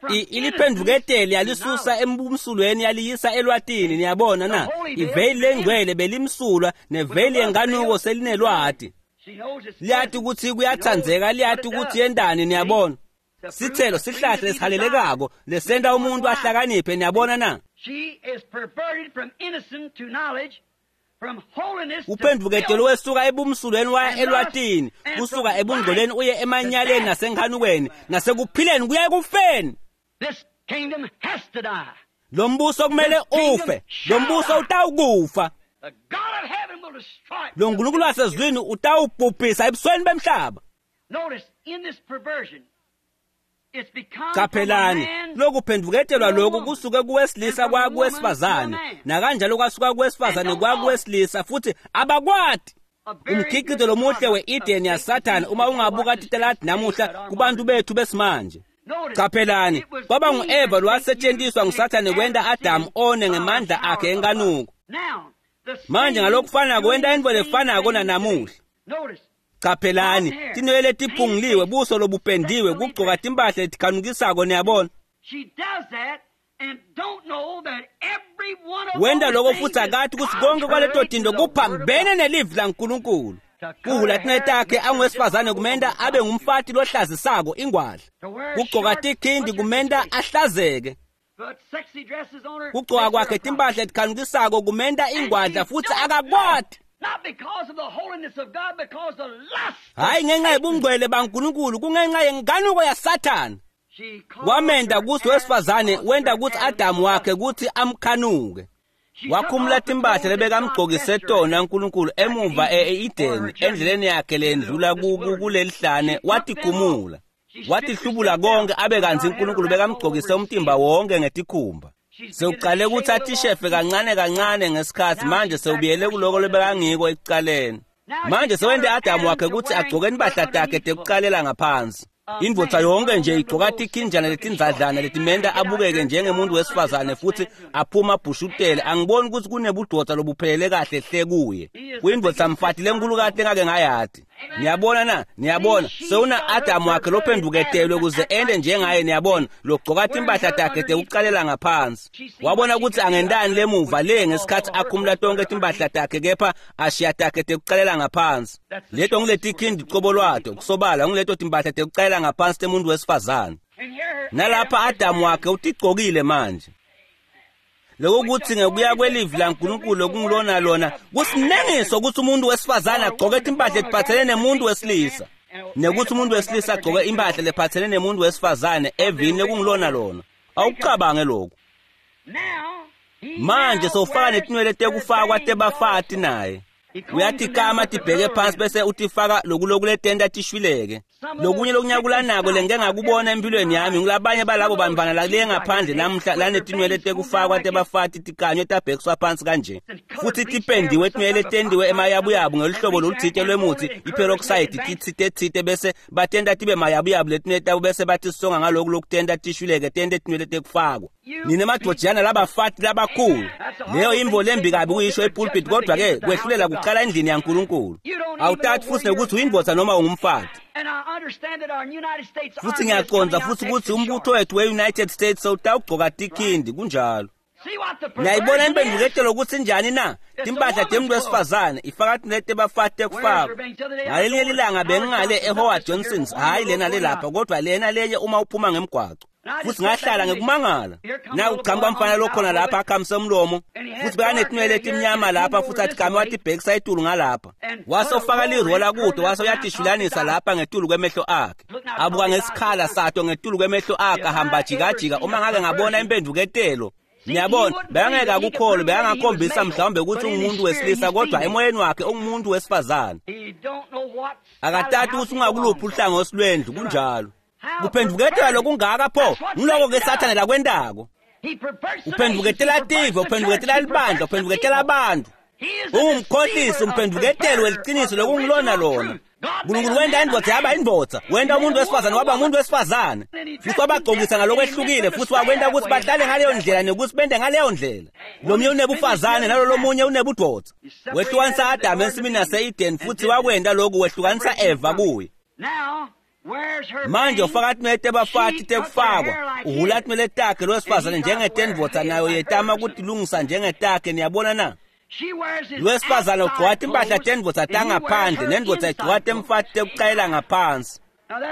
Iliphendvuketele yalisusa embumsulweni yaliyisa elwatini, niyabona na? Iveyili lengcwele belimsulwa neveyili yenkanuko selinelwati. Liyati ukuthi kuyathandzeka, liyati ukuthi yentani, niyabona. Sithelo sihlahla lesihalelekako lesenta umuntu ahlakaniphe, niyabona na? Uphendvuketelo wesuka ebumsulweni waya elwatini, kusuka ebungcweleni uye emanyaleni nasenkhanukweni, nasekuphileni kuya ekufeni. Lo mbuso kumele ufe, lo mbuso utawukufa. Lo Nkulunkulu wasezulwini utawubhubhisa ebusweni bemhlaba. Qaphelani, lokuphendvuketelwa lokhu kusuke kuwesilisa kwaya kuwesifazane, nakanjalo kwasuka kuwesifazane kwaya kuwesilisa, futhi abakwati. Umkhiqizo lomuhle we-Eden yaSathane uma ungabuka titaladi namuhla kubantu bethu besimanje. Qaphelani, kwaba ngu-Eva lowasetshenziswa nguSathane kwenta Adamu one ngemandla akhe enkanuko. Manje ngalokufanako wenta intfo lefanako nanamuhla. Qaphelani, tinwele letiphunguliwe, buso lobupendiwe, kugcoka timpahla letikhanukisako, niyabona. Wenta lokho futhi akati ukuthi konke kwaleto tinto kuphambene nelivi laNkulunkulu. Kuhula tinwele takhe anguwesifazane kumenta abe ngumfati lohlazisako ingwadla. Kugcoka tikhindi kumenta ahlazeke. Kugcoka kwakhe timpahla letikhanukisako kumenta ingwadla futhi akakwati. Hayi ngenxa yebungcwele baNkulunkulu, kungenxa yenkanuko yaSathane. Wamenda kuthi wesifazane wenta kuthi Adamu wakhe kuthi amkhanuke. Wakhumula timpahla lebekamgcokise tona uNkulunkulu emuva e-Edeni endleleni yakhe lendlula kulelihlane, watikhumula. Watihlubula konke abe kantsi uNkulunkulu bekamgcokise umtimba wonke ngetikhumba. Sewuqale ukuthi atishefe kancane kancane ngesikhathi, manje sewubuyele kuloko lobekangiko ekucaleni. Manje sewente Adamu wakhe ukuthi agcoke impahla takhe tekucalela ngaphansi. Indvodza yonke nje igcoka tikhinjana letindzadlana letimenta abukeke njengemuntu wesifazane futhi aphuma abhushutele. Angiboni ukuthi kunebudvodza lobuphelele kahle hle kuye. Kuyindvodza mfati lenkulukati engake ngayati. Niyabona na? Niyabona, sewuna Adamu wakhe lophendvuketelwe kuze ende njengaye, niyabona, logcoka timpahla takhe tekucalela ngaphansi. Wabona ukuthi angentani lemuva le ngesikhathi akhumula tonke timpahla takhe kepha ashiya takhe tekucalela ngaphansi. Leto ngiletikhindi cobo lwato, kusobala ngileto timpahla tekucalela ngaphansi temuntu wesifazane. Nalapha Adamu wakhe utigcokile manje. Lokho kuthi ngekuya kwelivi laNkulunkulu lokungilona lona kusinengiso ukuthi umuntu wesifazane agcoke timpahla letiphathelene nemuntu wesilisa, nekuthi umuntu wesilisa agcoke impahla lephathelene nemuntu wesifazane evini lekungilona lona. Awucabange lokhu. Manje sowufaka netinwele tekufakwa tebafati naye. Uyatikama tibheke phansi bese utifaka lokulokuletenta tishwileke. Lokunye lokunyakulanako lengike ngakubona empilweni yami ngulabanye balabo bantfwana lale ngaphandle namuhla lanetinwele tekufakwa tebafati tikanywe tabhekiswa phansi kanje. Futhi tipendiwe tinwele tendiwe emayabuyabu ngeluhlobo lolutsite lwemutsi iperoxide titsite bese batenta tibe mayabuyabu letinwele tabo bese batisonga ngaloku lokutenta tishwileke tente tinwele tekufakwa. Nine madojana labafati labakhulu. Leyo imvo lembi kabi kuyisho epulpit kodwa ke kwehlulela kuqala endlini yaNkulunkulu. Awutati futhi nekuthi uyindvodza noma ungumfati. Futhi ngiyaqonda futhi ukuthi umbutho wethu we-United States sewutawugcoka tikhindi kunjalo. Niyayibona impendvuketelo ukuthi njani na? Timpahla temuntu wesifazane ifaka tinete bafati tekufakwa. Ngalelinye lilanga bengingale eHoward Johnson's, hhayi lena le lapha kodwa lena lenye uma uphuma ngemgwaco. Futhi ngahlala ngekumangala. Naku kuqhamuka umfana lokhona lapha akhamise umlomo. Futhi bekanetinwele letimnyama lapha futhi athi kame watibhekisa etulu ngalapha. Wase ufaka lirola kude wase uyatishulanisa lapha ngetulu kwemehlo akhe. Abuka ngesikhala sato ngetulu kwemehlo akhe ahamba jikajika uma ngake ngabona impendvuketelo. Niyabona, bekangeke akukholwe, bekangakhombisa mhlawumbe ukuthi ungumuntu wesilisa kodwa emoyeni wakhe ungumuntu wesifazane. Akatati ukuthi ungakuluphi uhlangothi lwendlu kunjalo. Kuphendvuketela lokungaka pho ngiloko ke Sathane lakwentako. Uphendvuketela tive, uphendvuketela libandla, uphendvuketela abantu. Ungumkhohlisi, umphendvuketeli weliciniso lokungilona lona. Nkulunkulu wenta indvodza yaba indvodza, wenta umuntu wesifazane waba umuntu wesifazane. Futhi wabagcokisa ngalokwehlukile futhi wakwenta ukuthi bahlale ngaleyo ndlela nekuthi bente ngaleyo ndlela. Lomunye unebufazane nalo lomunye unebudvodza. Wehlukanisa Adamu ensimini yase-Eden futhi wakwenta lokhu wehlukanisa Eva kuye. Manje ufaka tinwele tebafati tekufakwa, uhhula tinwele takhe lowesifazane njengetendvodza nayo yetama kutilungisa njengetakhe, niyabona na? Lowesifazane ugcoka timpahla tendvodza tangaphandle nendvodza igcoka temfati tekucayela ngaphansi.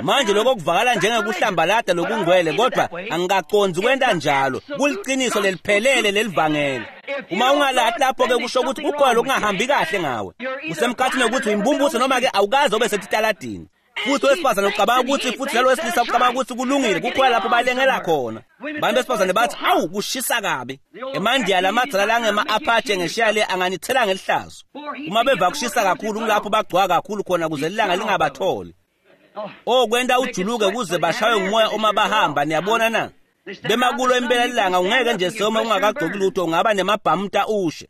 Manje lokho kuvakala njengekuhlambalada lokungcwele kodwa angikacondzi kwenta njalo. Kuliciniso leliphelele lelivangeli. Uma ungalahli lapho-ke kusho ukuthi kukhona lokungahambi kahle ngawe. Usemkhathini wokuthi uyimbumbuso noma-ke awukaze ube setitaladini. Futhi wesifazane ucabanga ukuthi futhi nalo wesilisa ucabanga ukuthi kulungile kukhona lapho balengela khona. Bantu besifazane bathi awu kushisa kabi. Emandiya lamadzala langema-Apache ngeshiya le anganithela ngelihlazo. Uma beva kushisa kakhulu kulapho bagcwaka kakhulu khona kuze ilanga lingabatholi. Oh kwenta ujuluke kuze bashaywe ngumoya uma bahamba niyabona na? Bemakulo impela ilanga ungeke nje soma ungakagcoki lutho ungaba nemabhamuta ushe.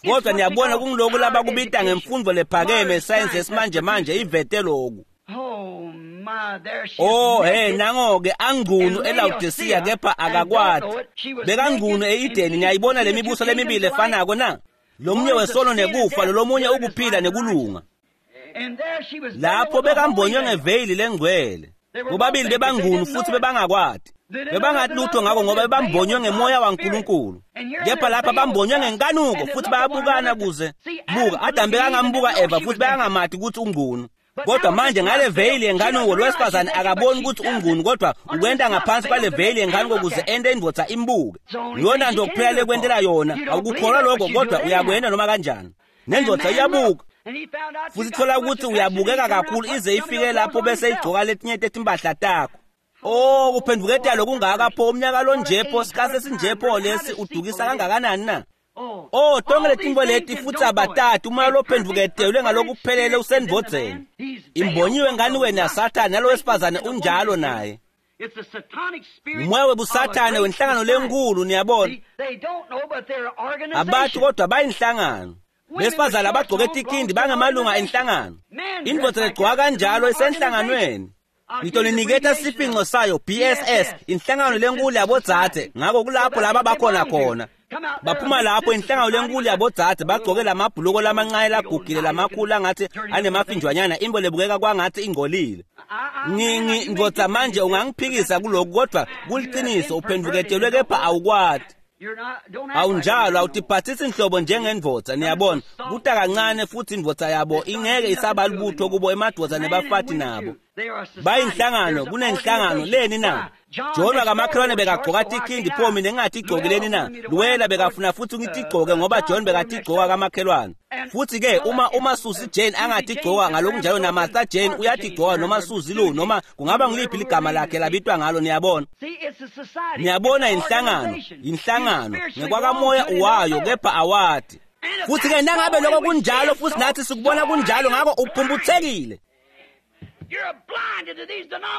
Kodwa niyabona kungiloku labakubita ngemfundo lephakeme sayensi yesimanje manje ivete loku. Oh hey nango-ke angcunu eLaodicea kepha akakwati. Bekangcunu e-Edeni niyayibona le mibuso lemibili efanako na? Lomunye wesono nekufa lolomunye ukuphila nekulunga. Lapho bekambonywe ngeveyili lengcwele. Bobabili bebangcunu futhi bebangakwati. Bebangathi lutho ngako ngoba bebambonywe ngemoya waNkulunkulu. Kepha lapha bambonywe ngenkanuko futhi bayabukana kuze. Buka, Adam bekangambuka Eva futhi bekangamati ukuthi ungcunu. Kodwa manje ngale veyili yenkanuko lowesifazane akaboni ukuthi ungcunu kodwa ukwenta ngaphansi kwale veyili yenkanuko kuze ente indvodza imbuke. Yona nto kuphela lekwentela yona, awukukholwa lokho kodwa uyakwenta noma kanjani. Nendvodza iyabuka. Futhi thola ukuthi uyabukeka kakhulu ize ifike lapho bese igcoka letinye tetimpahla takho. Oh kuphendvuketela lokungaka pho umnyaka lonje pho sikhathi esinje pho lesi udukisa kangakanani na? Oh tonke letinto leti futhi abatati umoya lophendvuketelwe ngalokuphelele usendvodzeni. Imbonyiwe ngani wena yaSathane nalo wesifazane unjalo naye. Umoya webusathane wenhlangano lenkulu niyabona. Abantu kodwa bayinhlangano. Besifazane abagcoke tikhindi bangamalunga enhlangano. Indvodza legcoka kanjalo isenhlanganweni. Ngitoliniketa siphinco sayo BSS inhlangano lenkulu yabodzadze ngako kulapho laba bakhona khona. Baphuma lapho inhlangano lenkulu yabodzadze bagcoke lamabhuluko lamancane lagugile lamakhulu angathi anemafinjwanyana imbo lebukeka kwangathi ingcolile. Ndvodza manje ungangiphikisa kuloku kodwa kuliciniso uphendvuketelwe kepha awukwati. Awunjalo awutiphathisi inhlobo njengendvodza niyabona kuta kancane futhi indvodza yabo ingeke isaba lubutho kubo emadvodza nebafati nabo. Bayinhlangano kunenhlangano leni na? John wakamakhelwane bekagcoka tikhindi pho mina engathi igcoke leni na? Luwela bekafuna futhi ngitigcoke ngoba John bekatigcoka kamakhelwane. Futhi ke uma Susie Jane angatigcoka ngalokunjalo na Martha Jane uyatigcoka noma Susie Lou noma kungaba ngiliphi ligama lakhe labitwa ngalo niyabona. Niyabona inhlangano, inhlangano ngekwakamoya uwayo kepha awati. Futhi-ke nangabe lokho kunjalo futhi nathi sikubona kunjalo, ngakho uphumputhekile.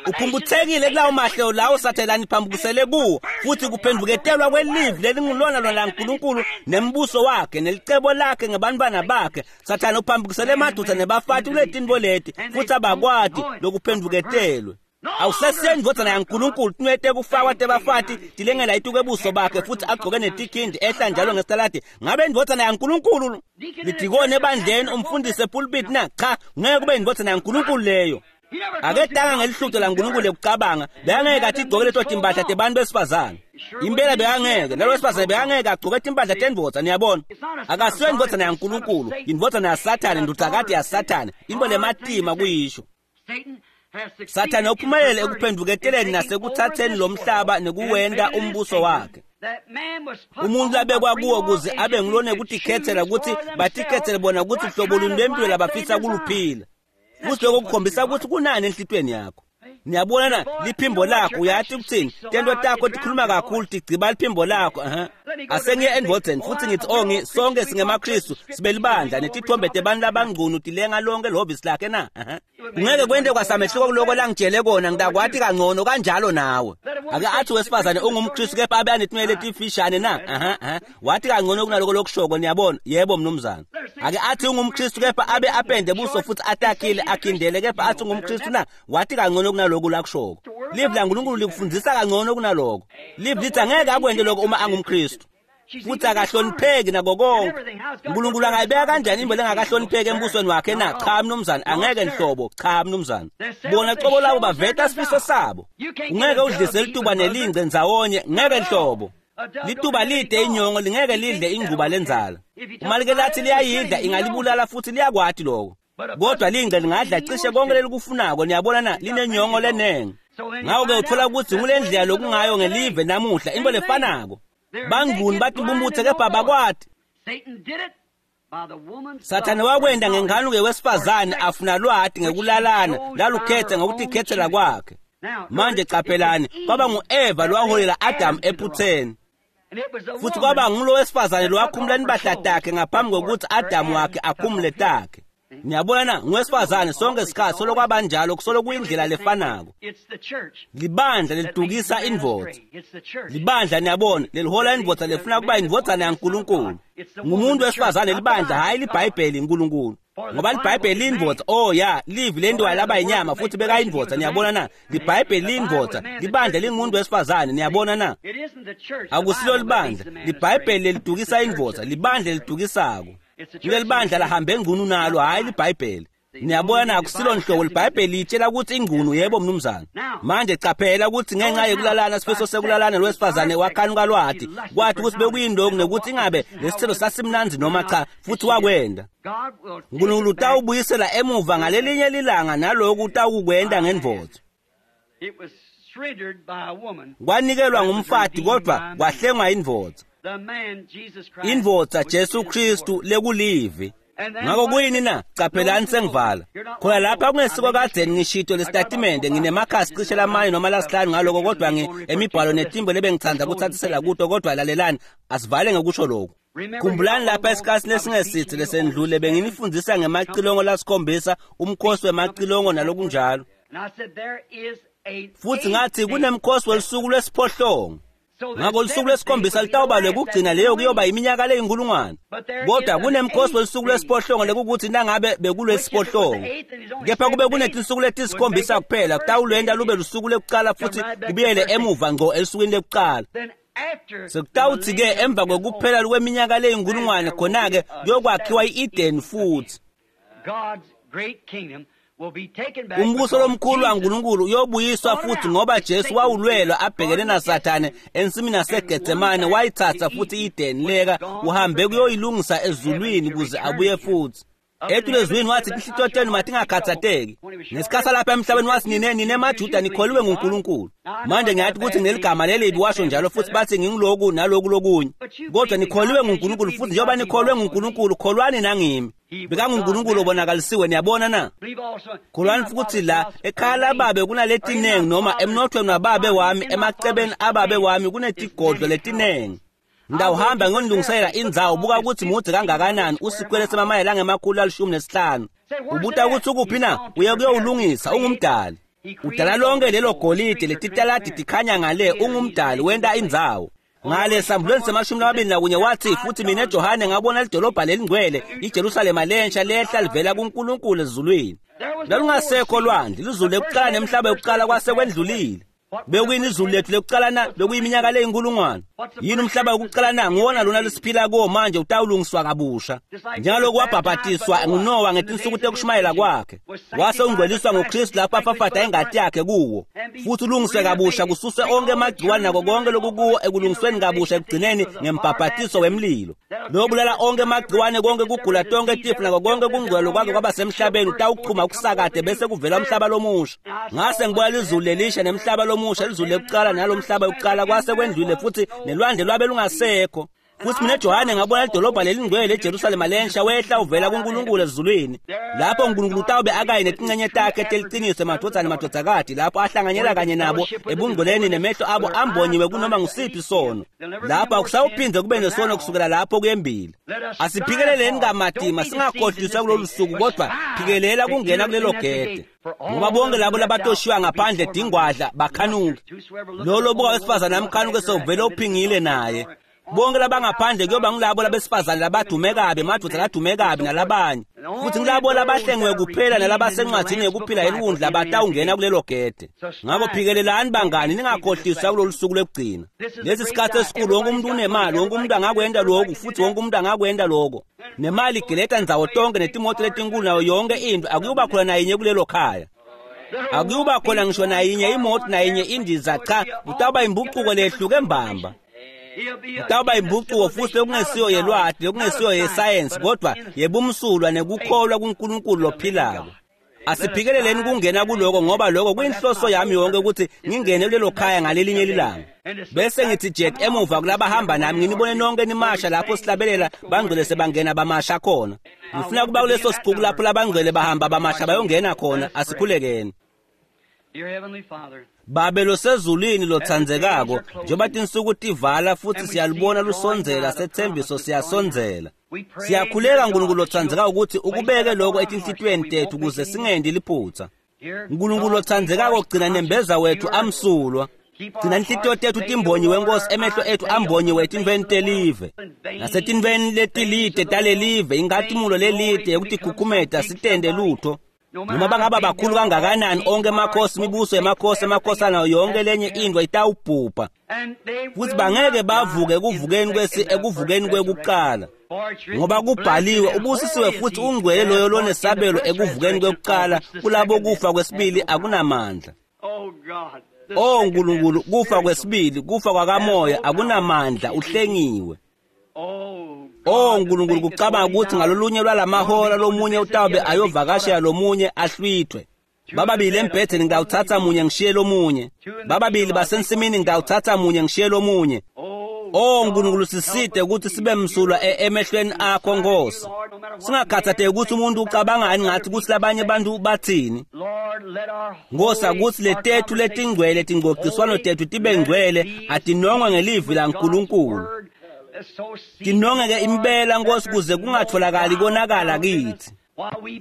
Uphumputhekile kulawo mahlelo lawo sathelani phambukisele kuwo, futhi kuphenduketelwa kwelivi lelingulona lona laNkulunkulu nembuso wakhe nelicebo lakhe ngebantwana bakhe. Sathane uphambukisele emadoda nebafati kuletintfo leti, futhi abakwati lokuphenduketelwe. Awusesiyo indvodzana yaNkulunkulu. Tinwete kufakwa tebafati tilengela ituke buso bakhe futhi agcoke netikhindi ehla njalo ngesitaladi. Ngabe indvodzana yaNkulunkulu lidikoni ebandleni, umfundisi epulpit na? Cha, ngeke kube indvodzana yaNkulunkulu leyo. Akedanga ngelihlutho laNkulunkulu lekucabanga. Bekangeke athi igcoke leto timpahla tebantu besifazane. Impela bekangeke. Nalo wesifazane bekangeke agcoke timpahla tendvodza. Niyabona, akasiyo indvodzana yaNkulunkulu, indvodzana yaSathane, ndvodzakati yaSathane. Into lematima kuyisho. Sathane uphumelele ekuphenduketeleni nasekuthatheni lo mhlaba nekuwenta umbuso wakhe. Umuntu labekwa kuwo kuze abe ngulone kutikhethela, ukuthi batikhethele bona ukuthi hlobo luni lwempilo labafisa kuluphila. Futhi lokho kukhombisa ukuthi kunani enhlitweni yakho. Niyabona na, liphimbo lakho, uyathi ukuthini? Tento takho tikhuluma kakhulu, tigciba liphimbo lakho. Asengiye endvodzeni futhi ngithi, oh, sonke singemaKristu, sibelibandla, netithombe tebantu labangcunu tilenga lonke lihhovisi lakhe na? Kungeke kwente kwasamehluko kuloko langitshele kona, ngitakwati kangcono kanjalo nawe. Ake athi wesifazane ungumKristu kepha abe anetinwele letifishane na? Wathi kangcono kunaloko lokushoko, niyabona. Yebo mnumzane. Ake athi ungumKristu kepha abe apende buso futhi atakhile akhindele kepha athi ungumKristu na? Wathi kangcono kunaloko lakushoko. Livi laNkulunkulu likufundisa kangcono kunaloko. Livi lithi angeke akwente lokho uma angumKristu. Futhi akahlonipheki nako konke. uNkulunkulu angayibeka kanjani imbo lengakahlonipheki embusweni wakhe na? Cha mnumzane, angeke nhlobo. Cha mnumzane. Bona cobo labo baveta sifiso sabo. Ungeke udlise lituba nelingce ndzawonye, ngeke nhlobo. Lituba lide inyongo lingeke lidle ingcuba lenzala. Uma like lathi liyayidla ingalibulala futhi liyakwati lokho. Kodwa lingce lingadla cishe konke lelikufunako, niyabona na, linenyongo lenengi. Ngakho-ke uthola ukuthi ngule ndlela lokungayo ngelive namuhla, into lefanako. Bangcuni bathi bumbuthe kepha bakwati. Sathane wakwenda ngenkanuko wesifazane afuna lwati ngekulalana lalukhetha ngokutikhethela kwakhe. Manje caphelani, kwaba ngu-Eva lowaholela Adamu ephutheni. Futhi kwaba ngulo wesifazane lowakhumula impahla takhe ngaphambi kokuthi Adamu wakhe akhumule takhe. Niyabona na, ngowesifazane sonke isikhathi solo kwabanjalo, kusolo kuyindlela lefanako. Libandla lelidukisa indvodza. Libandla, niyabona, lelihola indvodza lefuna kuba indvodzana yaNkulunkulu. Ngumuntu wesifazane libandla, hhayi liBhayibheli iNkulunkulu. Ngoba liBhayibheli liyindvodza. Oh ya, livi lentiwa laba yinyama futhi bekayindvodza, niyabona na? LiBhayibheli liyindvodza, libandla lingumuntu wesifazane, niyabona na? Akusilo libandla, liBhayibheli lelidukisa indvodza, libandla lelidukisako. Kuleli bandla lahambe engcunu nalo, hhayi liBhayibheli. Niyabona na, akusilo nhlobo liBhayibheli litshela ukuthi ingcunu. Yebo mnumzane. Manje caphela ukuthi ngenxa yekulalana, sifiso sekulalana, lowesifazane wakhanuka lwati, kwathi ukuthi bekuyindoku nekuthi ingabe lesithelo sasimnandzi noma cha, futhi wakwenda. Nkulunkulu utawubuyisela emuva ngalelinye lilanga naloku utawukwenta ngendvodza. Kwanikelwa ngumfati kodwa kwahlengwa indvodza. Indvodza Jesu Kristu lekulivi. Ngakho kuyini na? Caphelani sengivala. Khona lapha kungesiko kadzeni ngishito lesitatimende, nginemakhasi cishe lamane noma lasihlanu ngaloko, kodwa emibhalo netimbo lebengitsandza kuthathisela kuto, kodwa lalelani, asivale ngekusho lokhu. Khumbulani lapha esikhatsini lesingesitsi lesendlule benginifundisa ngemacilongo lasikhombisa, umkhosi wemacilongo nalokunjalo. Futhi ngathi kunemkhosi welusuku lwesiphohlongo. Ngakho lusuku lwesikhombisa litawuba lwekugcina, leyo kuyoba iminyaka leyinkulungwane. Kodwa kunemkhosi welusuku lwesiphohlongo lekukuthi nangabe bekulwesiphohlongo, kepha kube kunetinsuku letisikhombisa kuphela, kutawulwenta lube lusuku lekucala futhi kubuyele emuva ngco elusukwini lekucala. Sekutawuthi-ke emva kwekuphela kweminyaka leyinkulungwane, khona-ke kuyokwakhiwa i-Eden futhi. Umbuso lomkhulu waNkulunkulu uyobuyiswa futhi ngoba Jesu wawulwelwa abhekene naSathane ensimini yaseGetsemane, wayithatha futhi i-Eden leka uhambe kuyoyilungisa ezulwini kuze abuye futhi. Etulezwini wathi tinhlitiyo tenu matingakhathateki. Ngesikhathi lapha emhlabeni wathi nine nine maJuda nikholiwe nguNkulunkulu. Manje ngiyathi ukuthi ngineligama lelibi, washo njalo, futhi bathi nginguloku naloku lokunye. Kodwa nikholiwe nguNkulunkulu, futhi njengoba nikholwe nguNkulunkulu, kholwani nangimi. BekanguNkulunkulu obonakalisiwe, niyabona na? Kholwani futhi la ekhaya lababe kunaletinengi, noma emnothweni wababe wami, emacebeni ababe wami kunetigodlo letinengi. Ngitawuhamba ngiyonilungiselela indzawo. Buka ukuthi mudze kangakanani, usikwele semamayela angemakhulu 15. Ubuta ukuthi ukuphi na? Uye kuyowulungisa. Ungumdali, udala lonke lelo golide, letitaladi tikhanya ngale. Ungumdali, wenta indzawo ngale. Sambulweni se-21 wathi, "Futhi mina Johane ngabona lidolobha lelingcwele, iJerusalema lensha, lehla livela kuNkulunkulu ezulwini. Lalungasekho lwandle. Lizulu lekucala nemhlaba yokucala kwase kwendlulile." Bekuyini izulu lethu lekucala na? Bekuyiminyaka leyinkulungwane. Yini umhlaba wokucala na? Nguwona lona lesiphila kuwo manje. Utawulungiswa kabusha njengaloku wabhabhatiswa nguNowa ngetinsuku tekushumayela kwakhe, wase ungcweliswa nguKristu lapho afafata ingati yakhe kuwo, futhi ulungiswe kabusha, kususwe onke emagciwane nako konke lokukuwo ekulungisweni kabusha ekugcineni ngembhabhatiso wemlilo lobulala onke emagciwane, konke kugula, tonke tifo nako konke kungcwele kwake kwabasemhlabeni. Utawuchuma kusakade bese kuvela umhlaba lomusha. Ngase ngibona lizulu lelisha nemhlaba lomusha. Lizulu lekucala nalomhlaba yokucala kwase kwendlule, futhi nelwandle lwabe lungasekho. Futhi mina Johane ngabona lidolobha lelingcwele, eJerusalema lensha, wehla uvela kuNkulunkulu ezulwini. Lapho uNkulunkulu utawube akaye netincenye takhe teliciniso, emadvodzana nemadvodzakati, lapho ahlanganyela kanye nabo ebungcweleni, nemehlo abo ambonyiwe kunoma ngusiphi sono. Lapho akusawuphindze kube nesono kusukela lapho kuyembili. Asiphikeleleni kamatima, singakhohliswa kulolu suku, kodwa phikelela kungena kulelo gede, ngoba bonke labo labatoshiywa ngaphandle dingwadla bakhanuke. Lolo buka wesifazane amkhanuke sewuvele uphingile naye. Bonke labangaphandle kuyoba ngilabo labesifazane labadume kabi, emadvodza ladume kabi nalabanye, futhi ngilabo labahlengiwe kuphela nalabasencwadzini yekuphila yeliwundlu abatawungena kulelo gede. Ngakho phikelelani bangani, ningakhohliswa kulolu suku lwekugcina. Lesi sikhathi esikhulu. Wonke umuntu unemali, wonke umuntu angakwenta lokhu futhi wonke umuntu angakwenta lokho, nemali igeleta ndzawo tonke, netimoto letinkulu nayo yonke into. Akuyuba khona nayinye kulelo khaya, akuyuba khona ngisho nayinye imoto, nayinye indiza. Cha, kutawuba imbucuko lehluke mbamba. Kutawuba imbucuko futhi lokungesiyo yelwati, lokungesiyo yesayensi, kodwa yebumsulwa nekukholwa kuNkulunkulu lophilako. Asiphikeleleni kungena kuloko, ngoba lokho kuyinhloso yami yonke, ukuthi ngingene kulelo khaya ngalelinye lilanga, bese ngithi jet emuva kulabahamba nami, nginibone nonke nimasha lapho sihlabelela bangcwele sebangena bamasha khona. Ngifuna kuba kuleso sicuku lapho labangcwele bahamba bamasha bayongena khona. Asikhulekeni. Dear Heavenly Father, Babe losezulwini lotsandzekako, njengoba tinsuku tivala futhi siyalibona lusondzela sethembiso, siyasondzela, siyakhuleka Nkulunkulu lotsandzekako ukuthi ukubeke lokho etinhlitiyweni tethu ukuze singendi liphutha. Nkulunkulu lotsandzekako, gcina nembeza wethu amsulwa, gcina inhlitiyo tethu timbonyiwe Nkosi, emehlo ethu ambonyiwe etintfweni telive nasetintfweni letilide talelive, inkhatimulo lelide yekutikhukhumeta, sitende lutho, noma bangaba bakhulu kangakanani onke emakhosi, imibuso yemakhosi, emakhosana, yonke lenye into itawubhubha, futhi bangeke bavuke ekuvukeni kwesi ekuvukeni kwekuqala, ngoba kubhaliwe, "Ubusisiwe futhi ungcwele loyo lonesabelo ekuvukeni kwekuqala. Kulabo kufa kwesibili akunamandla." Oh God, O Nkulunkulu, kufa kwesibili, kufa kwakamoya, akunamandla, uhlengiwe. Oh O Nkulunkulu, kucabanga ukuthi ngalolunye lwalamahora lomunye utawube ayovakashela lomunye ahlwithwe. Bababili embhedeni, ngitawuthatha munye ngishiye lomunye. Bababili basensimini, ngitawuthatha munye ngishiye lomunye. Oh O Nkulunkulu, siside ukuthi sibe msulwa emehlweni akho Nkosi, singakhathatheki ukuthi umuntu ucabangani ngathi, ukuthi labanye abantu bathini. Lord, let our Nkosi, akuthi letethu letingcwele tingcociswano tethu tibe ngcwele, atinongwe ngelivi laNkulunkulu, tinongeke impela Nkosi, kuze kungatholakali konakala kithi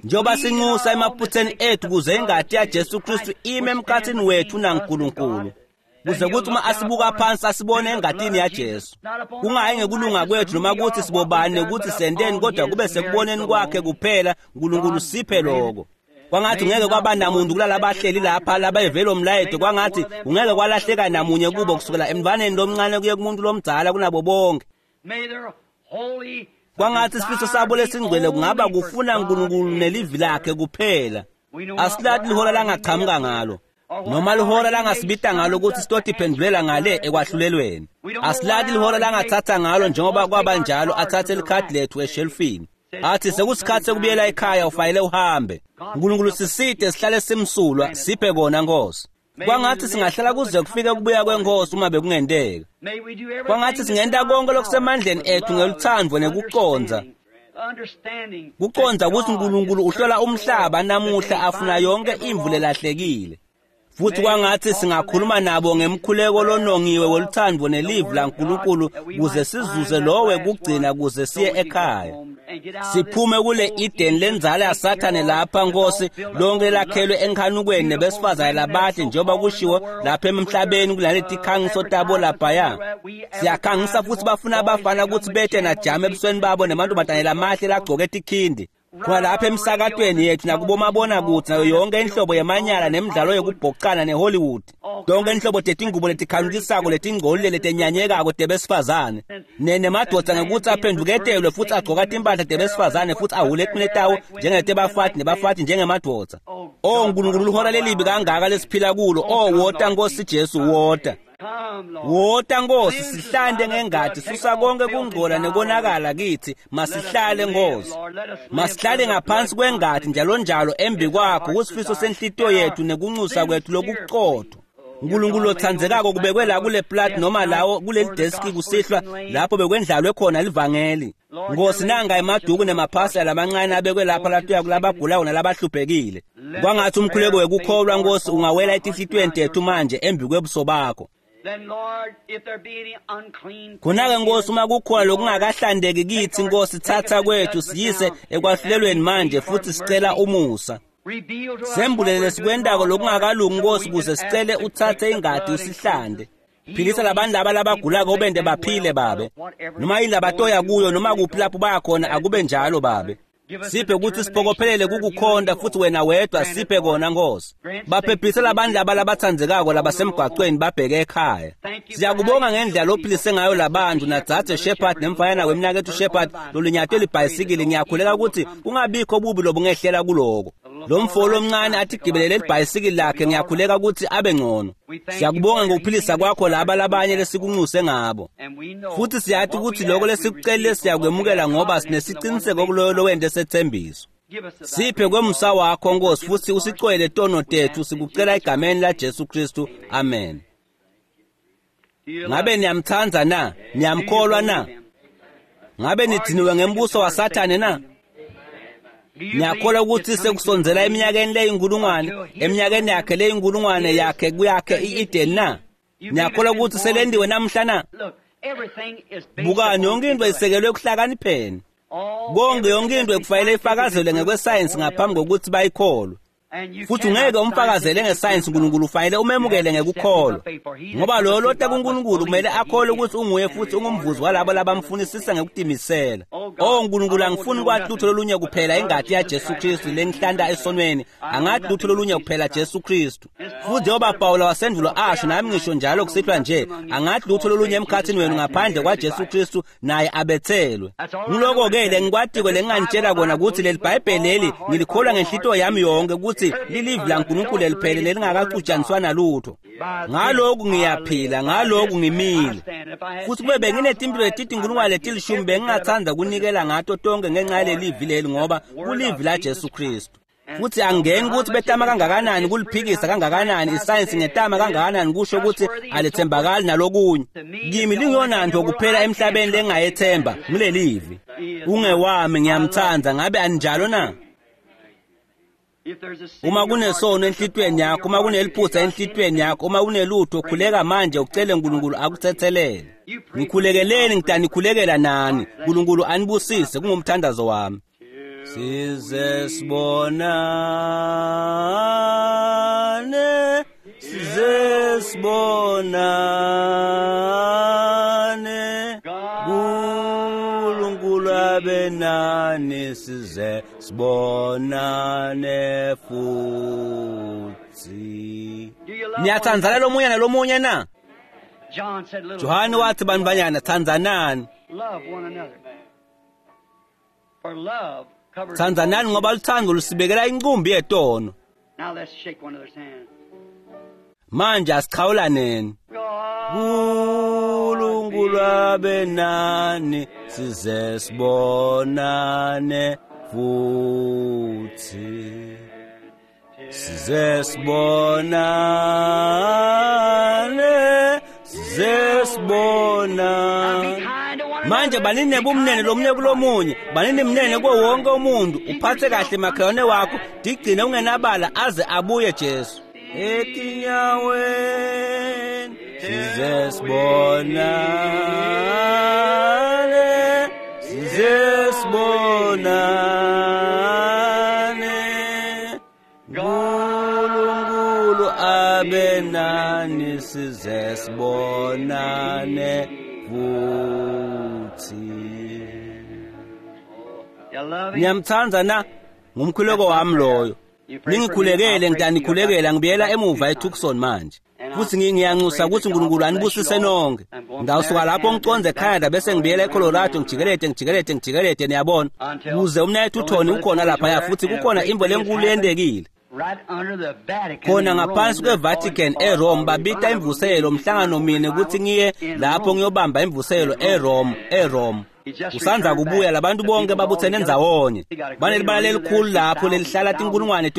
njengoba sinxusa emaphutheni ethu, kuze ingati yaJesu Kristu ime emkhathini wethu naNkulunkulu, kuze kuthi uma asibuka phansi asibone engatini yaJesu, kungayi ngekulunga kwethu noma ukuthi sibobani nekuthi senteni, kodwa kube sekuboneni kwakhe kuphela. Nkulunkulu, siphe lokho. Kwangathi ungeke kwaba namuntu kulalabahleli lapha labayevele umlayeto, kwangathi ungeke kwalahleka namunye kubo, kusukela emntwaneni lomncane kuye kumuntu lomdzala kunabo bonke. May their holy Kwangathi isifiso sabo lesingcwele kungaba kufuna uNkulunkulu nelivi lakhe kuphela. Asilati lihora langaqhamuka ngalo noma lihora langasibita ngalo ukuthi sitotiphendulela ngale ekwahlulelweni. Asilati lihora langathatha ngalo, njengoba kwaba njalo, athathe likhadi lethu eshelfini athi, "Sekusikhathi sekubuyela ekhaya, ufanele uhambe." Nkulunkulu, siside sihlale simsulwa. Siphe kona Nkosi. Kwangathi singahlala kuze kufike kubuya kwenkosi uma bekungenteka. May we do everything Kwangathi singenta konke lokusemandleni ethu ngelutsandvo nekucondza, understanding kucondza ukuthi uNkulunkulu uhlola umhlaba namuhla afuna yonke imvu lelahlekile. Futhi kwangathi singakhuluma nabo ngemkhuleko lonongiwe woluthando nelivi laNkulunkulu kuze sizuze lowe kugcina kuze siye ekhaya. Siphume kule Eden lenzala yaSathane lapha Nkosi, lonke lakhelwe enkhanukweni nebesifazane labahle njengoba kushiwo lapha emhlabeni kunaleti khangiso tabo laphaya. Siyakhangisa futhi bafuna abafana ukuthi bethe najama ebusweni babo nemantombazane lamahle lagcoke tikhindi. Khona lapha emsakatweni yethu nakubomabonakude nayo yonke inhlobo yemanyala nemidlalo yokubhocana neHollywood. Yonke inhlobo tetingubo letikhanukisako letingcolile letenyanyekako tebesifazane. Nemadoda ngekuthi aphenduketelwe futhi agcoka timpahla tebesifazane futhi ahule eqine tawo njengetebafati nebafati njengemadoda. Oh Nkulunkulu, lihora lelibi kangaka lesiphila kulo. Oh wota Nkosi Jesu, wota. Wota Nkosi, sihlante ngengadi, susa konke kungcola nekonakala kithi. Masihlale Nkosi, masihlale ngaphansi kwengadi njalo njalo embi kwakho, kusifiso senhlitiyo yethu nekunxusa kwethu lokuqotho. Nkulunkulu othandzekako, kubekwe la kule plat noma lawo kuleli deski kusihlwa lapho bekwendlalwe khona livangeli. Nkosi, nanga emaduku nemaphasela lamancane abekwe lapha latuya kulabagulayo nalabahluphekile. Kwangathi umkhuleko wekukholwa Nkosi ungawela etinhlitiyweni tethu manje embi kwebuso bakho. Khona-ke Nkosi, uma kukhona lokungakahlandeki kithi Nkosi, thatha kwethu siyise ekwahlulelweni manje futhi sicela umusa. Sembulele lesikwentako lokungakalungi Nkosi, kuze sicele uthathe ingadi usihlande. Philisa labantu laba labagulako ubende baphile babe. Noma yini labatoya kuyo noma kuphi lapho baya khona akube njalo babe. Siphe ukuthi siphokophelele kukukhonta futhi wena wedwa siphe kona Nkosi. Baphephise labantu laba labathandzekako labasemgwaqweni babheke ekhaya. Siyakubonga ngendlela lophilise ngayo labantu nadzadze Shepherd nemfayana wemnaketfu Shepherd lolinyatwe libhayisikili. Ngiyakhuleka ukuthi kungabikho bubi lobungehlela kuloko. Lo mfo lomncane athi gibelele libhayisikili lakhe, ngiyakhuleka ukuthi abe ngcono. Siyakubonga ngokuphilisa kwakho laba labanye lesikunxuse ngabo. Futhi siyathi ukuthi lokho lesikucelile siyakwemukela ngoba sinesiciniseko kuloyo lowente sethembiso. Siphe kwemusa wakho Nkosi futhi usicwele tono tethu, sikucela egameni la Jesu Kristu. Amen. Ngabe niyamthanda na? Niyamkholwa na? Ngabe nidiniwe ngembuso waSathane na? Ngiyakholwa ukuthi sekusondzela eminyakeni leyinkulungwane, eminyakeni yakhe leyinkulungwane yakhe kuyakhe i-Eden na? Ngiyakholwa ukuthi selendiwe namhla na? Bukani, yonke into isekelwe ekuhlakanipheni. Konke, yonke into ekufanele ifakazelwe ngekwesayensi ngaphambi kokuthi bayikholwe. Futhi ungeke umfakazele ngesayensi uNkulunkulu, ufanele umemukele ngekukholwa. Ngoba loyo lota kuNkulunkulu kumele akholwe ukuthi unguye futhi ungumvuzi walabo labamfunisisa ngekutimisela. Oh Nkulunkulu, angifuni kwathi lutho lolunye kuphela ingati yaJesu Kristu lengihlanta esonweni. Angathi lutho lolunye kuphela Jesu Kristu. Futhi njengoba Pawula wasendulo asho, nami ngisho njalo kusihlwa nje, angathi lutho lolunye emkhathini wenu ngaphandle kwaJesu Kristu naye abethelwe. Ngiloko-ke lengikwatiko lenginganitshela kona ukuthi leli Bhayibheli leli ngilikholwa ngenhlitiyo yami yonke ukuthi lilivi laNkulunkulu eliphelele lelingakaxutshaniswa nalutho. Ngalokhu ngiyaphila, ngalokhu ngimile. Futhi kube benginetimpilo letitinkulungwane letilishumi bengingathanda kunikela ngato tonke ngenxa yalelivi leli, ngoba kulivi laJesu Kristu. Futhi angeni ukuthi betama kangakanani kuliphikisa kangakanani isayensi ngetama kangakanani kusho ukuthi alithembakali nalokunye. Kimi lingiyona nto kuphela emhlabeni lengingayethemba ngilelivi. Ungewami, ngiyamthanda. Ngabe aninjalo na? Uma kunesono enhlitiyweni yakho, uma kuneliphutha enhlitiyweni yakho, uma kunelutho, khuleka manje ucele uNkulunkulu akuthethelele. Ngikhulekeleni, ngitanikhulekela nani. uNkulunkulu anibusise, kungumthandazo wami. Size sibonane, size sibonane, uNkulunkulu abe nani, size sibonane futhi. Niyathandzana lomunye nalomunye na? Johane wathi, bantfwanyana, thandzanani. Thandzanani ngoba luthando lusibekela inqumbi yetono. Manje asichawulaneni. uNkulunkulu abe nani, size sibonane futhi. Size sibonane, size sibonane. Manje banini bumnene lomunye kulomunye, banini mnene kuwo wonke umuntu. Uphathe kahle makhelwane wakho, digcine ungenabala aze abuye Jesu. Etinyaweni size sibonane, size sibonane. Nkulunkulu abe nani size sibonane futhi. Niyamthanda na? Ngumkhuleko wami loyo. Ningikhulekele, ngitanikhulekela, ngibuyela emuva eTucson manje. Futhi ngiyanxusa ukuthi uNkulunkulu anibusise nonke. Ngawusuka lapho ngiconze eCanada bese ngibuyela eColorado, ngijikelete niyabona. Kuze umnayethu uTony ukhona laphaya futhi kukhona imvo lenkulu yentekile. Khona ngaphansi kweVatican eRome babita imvuselo umhlangano mine ukuthi ngiye lapho ngiyobamba imvuselo eRome. Usanza kubuya labantu bonke babuthene ndzawonye. Banelibala lelikhulu lapho lelihlala tinkulungwane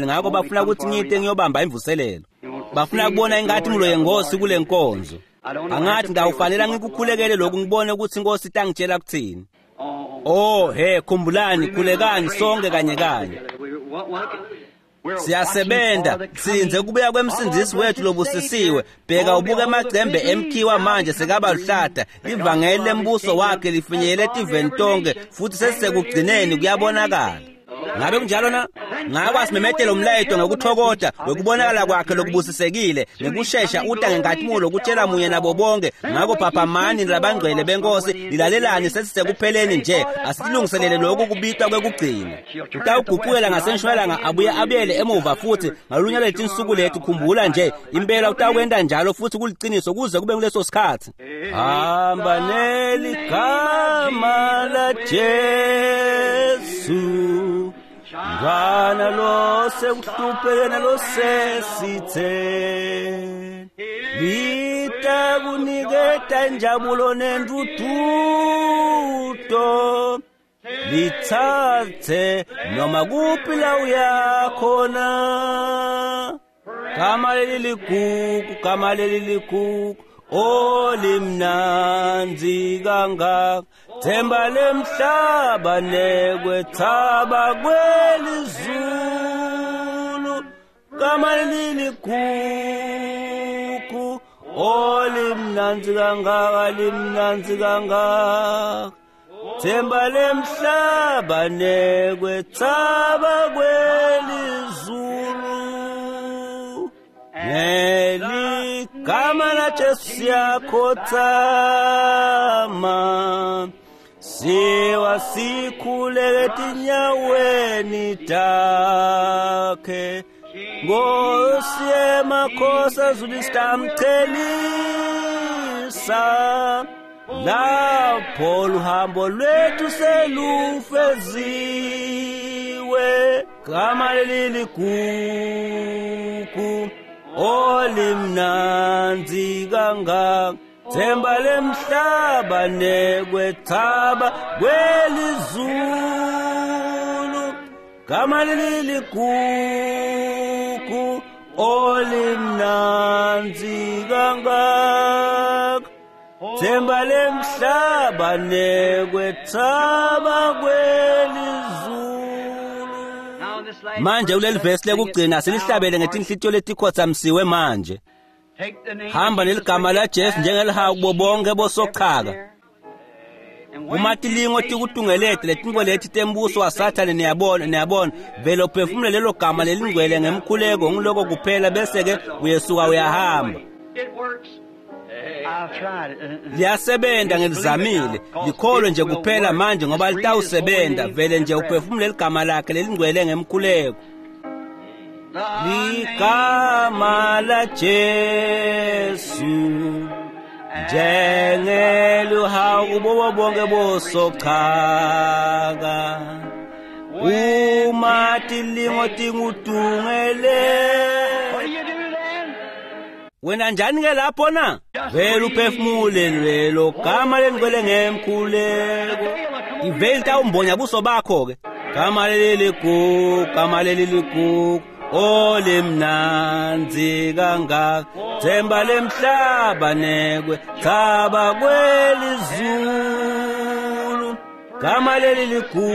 ngakho bafuna ukuthi ngiyite ngiyobamba imvuselelo. Bafuna kubona inkathi yenkosi kule nkonzo. Angathi ngawufanele ngikukhulekele lokhu ngibone ukuthi inkosi itangitshela kuthini. Oh he, khumbulani, khulekani sonke kanye kanye. Siyasebenza sinze kubuya kwemsindisi wethu lobusisiwe. Bheka ubuke emacembe emkhiwa manje sekaba luhlata. Ivangeli lembuso wakhe lifinyelele etiveni tonke futhi sesisekugcineni kuyabonakala. Ngabe kunjalo na? Ngako asimemetele umlayeto ngokuthokoda wekubonakala kwakhe lokubusisekile ngekushesha uta ngenkathumulo kutshela munye nabo bonke. Ngako phaphamani labangcwele benkosi, nilalelani, sesisekupheleni nje. Asitilungiselele lokhu kubitwa kwekugcina. Utawuguqukela ngasentshonalanga abuye abuyele emuva futhi ngalunye lwetinsuku lethu. Khumbula nje impela utawukwenta njalo futhi kuliciniso kuze kube kuleso sikhathi. Hamba neligama la Jesu, Mntwana lo sekuhlupheke nalo sesitheni, litakuniketa injabulo nentuthuto, lithathe noma kuphi la uyakhona. Gama leli ligugu, gama leli ligugu, olimnandzi kangaka, themba lemhlaba nekwethaba kwelizulu. Gama leli ligugu, olimnandzi kangaka, limnandzi kangaka, themba lemhlaba nekwethaba kwelizulu. Neligama la Jesu siyakhothama, siwa sikhuleke etinyaweni takhe. Nkosi yemakhosi ezulu sitamchelisa, lapho luhambo lwethu selufeziwe. Gama leli ligugu, olimnandzi kangaka, themba lemhlaba nekwethaba kwelizulu. Gama leli ligugu, olimnandzi kangaka, themba lemhlaba nekwethaba kwelizulu. Manje kuleli vesi lekugcina silihlabele ngetinhlitiyo letikhothamisiwe manje. Hamba neligama la Jesu njengelihawu kubo bonke bosochaka. Uma tilingo tikutungelete letinto leti tembuso waSathane, niyabona vele uphefumule lelo gama lelingcwele ngemkhuleko, ngiloko kuphela, bese-ke uyesuka uyahamba. Liyasebenza, ngilizamile. Likholwe nje kuphela manje ngoba litawusebenza. Vele nje uphefumule ligama lakhe lelingcwele ngemkhuleko. Ligama la Jesu njengeluhawu kubo bonke bosochaka, uma tilingo tingudungele. Wena njani ke lapho na? Vele uphefumule lelo gama lengcwele ngemkhuleko. Iveli tawumbonya buso bakho ke. Gama leli ligugu, gama leli ligugu, olimnandzi kangaka, themba lemhlaba nekwethaba kwelizulu. Gama leli ligugu,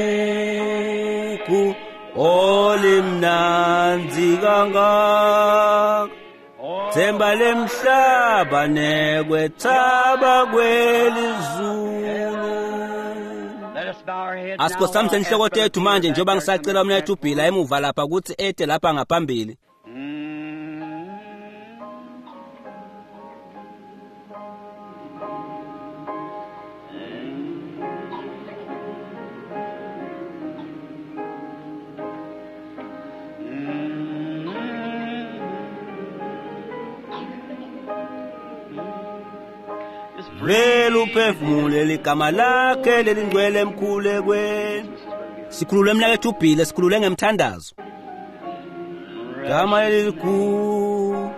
olimnandzi kangaka, Themba lemhlaba nekwethaba kwelizulu. Let us bow our heads now Asikhosamise while I inhloko ask Brother tethu manje Peter njengoba back there to ngisacela come umnethu ubhila emuva lapha ukuthi ete lapha ngaphambili. Vele uphefumule ligama lakhe lelingcwele emkhulekweni. Sikhulule mnakethu ubhile, sikhulule ngemthandazo. Gama lelikhulu.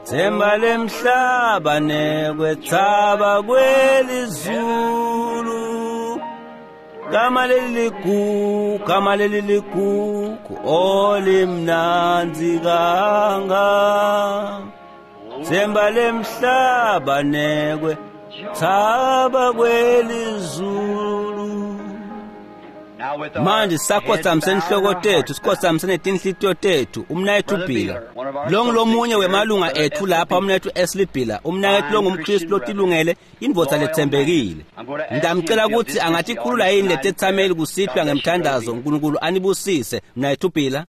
Themba lemhlaba nekwethaba kwelizulu. Gama leligugu, gama leligugu, olimnandzi kangaka. Themba lemhlaba nekwethaba kwelizulu. Now with our Manje sisakhothamise heads bowed inhloko and our tethu, hearts bowed. sikhothamise netinhlitiyo tethu. Umnakethu Bhila, longulomunye wemalunga ethu lapha, umnakethu Eslibhila, umnakethu longumKristu lotilungele, indvodza letsembekile. Ngiyamcela ukuthi angatikhulula yini letethameli kusihlwa ngemthandazo. uNkulunkulu anibusise, mnakethu Bhila.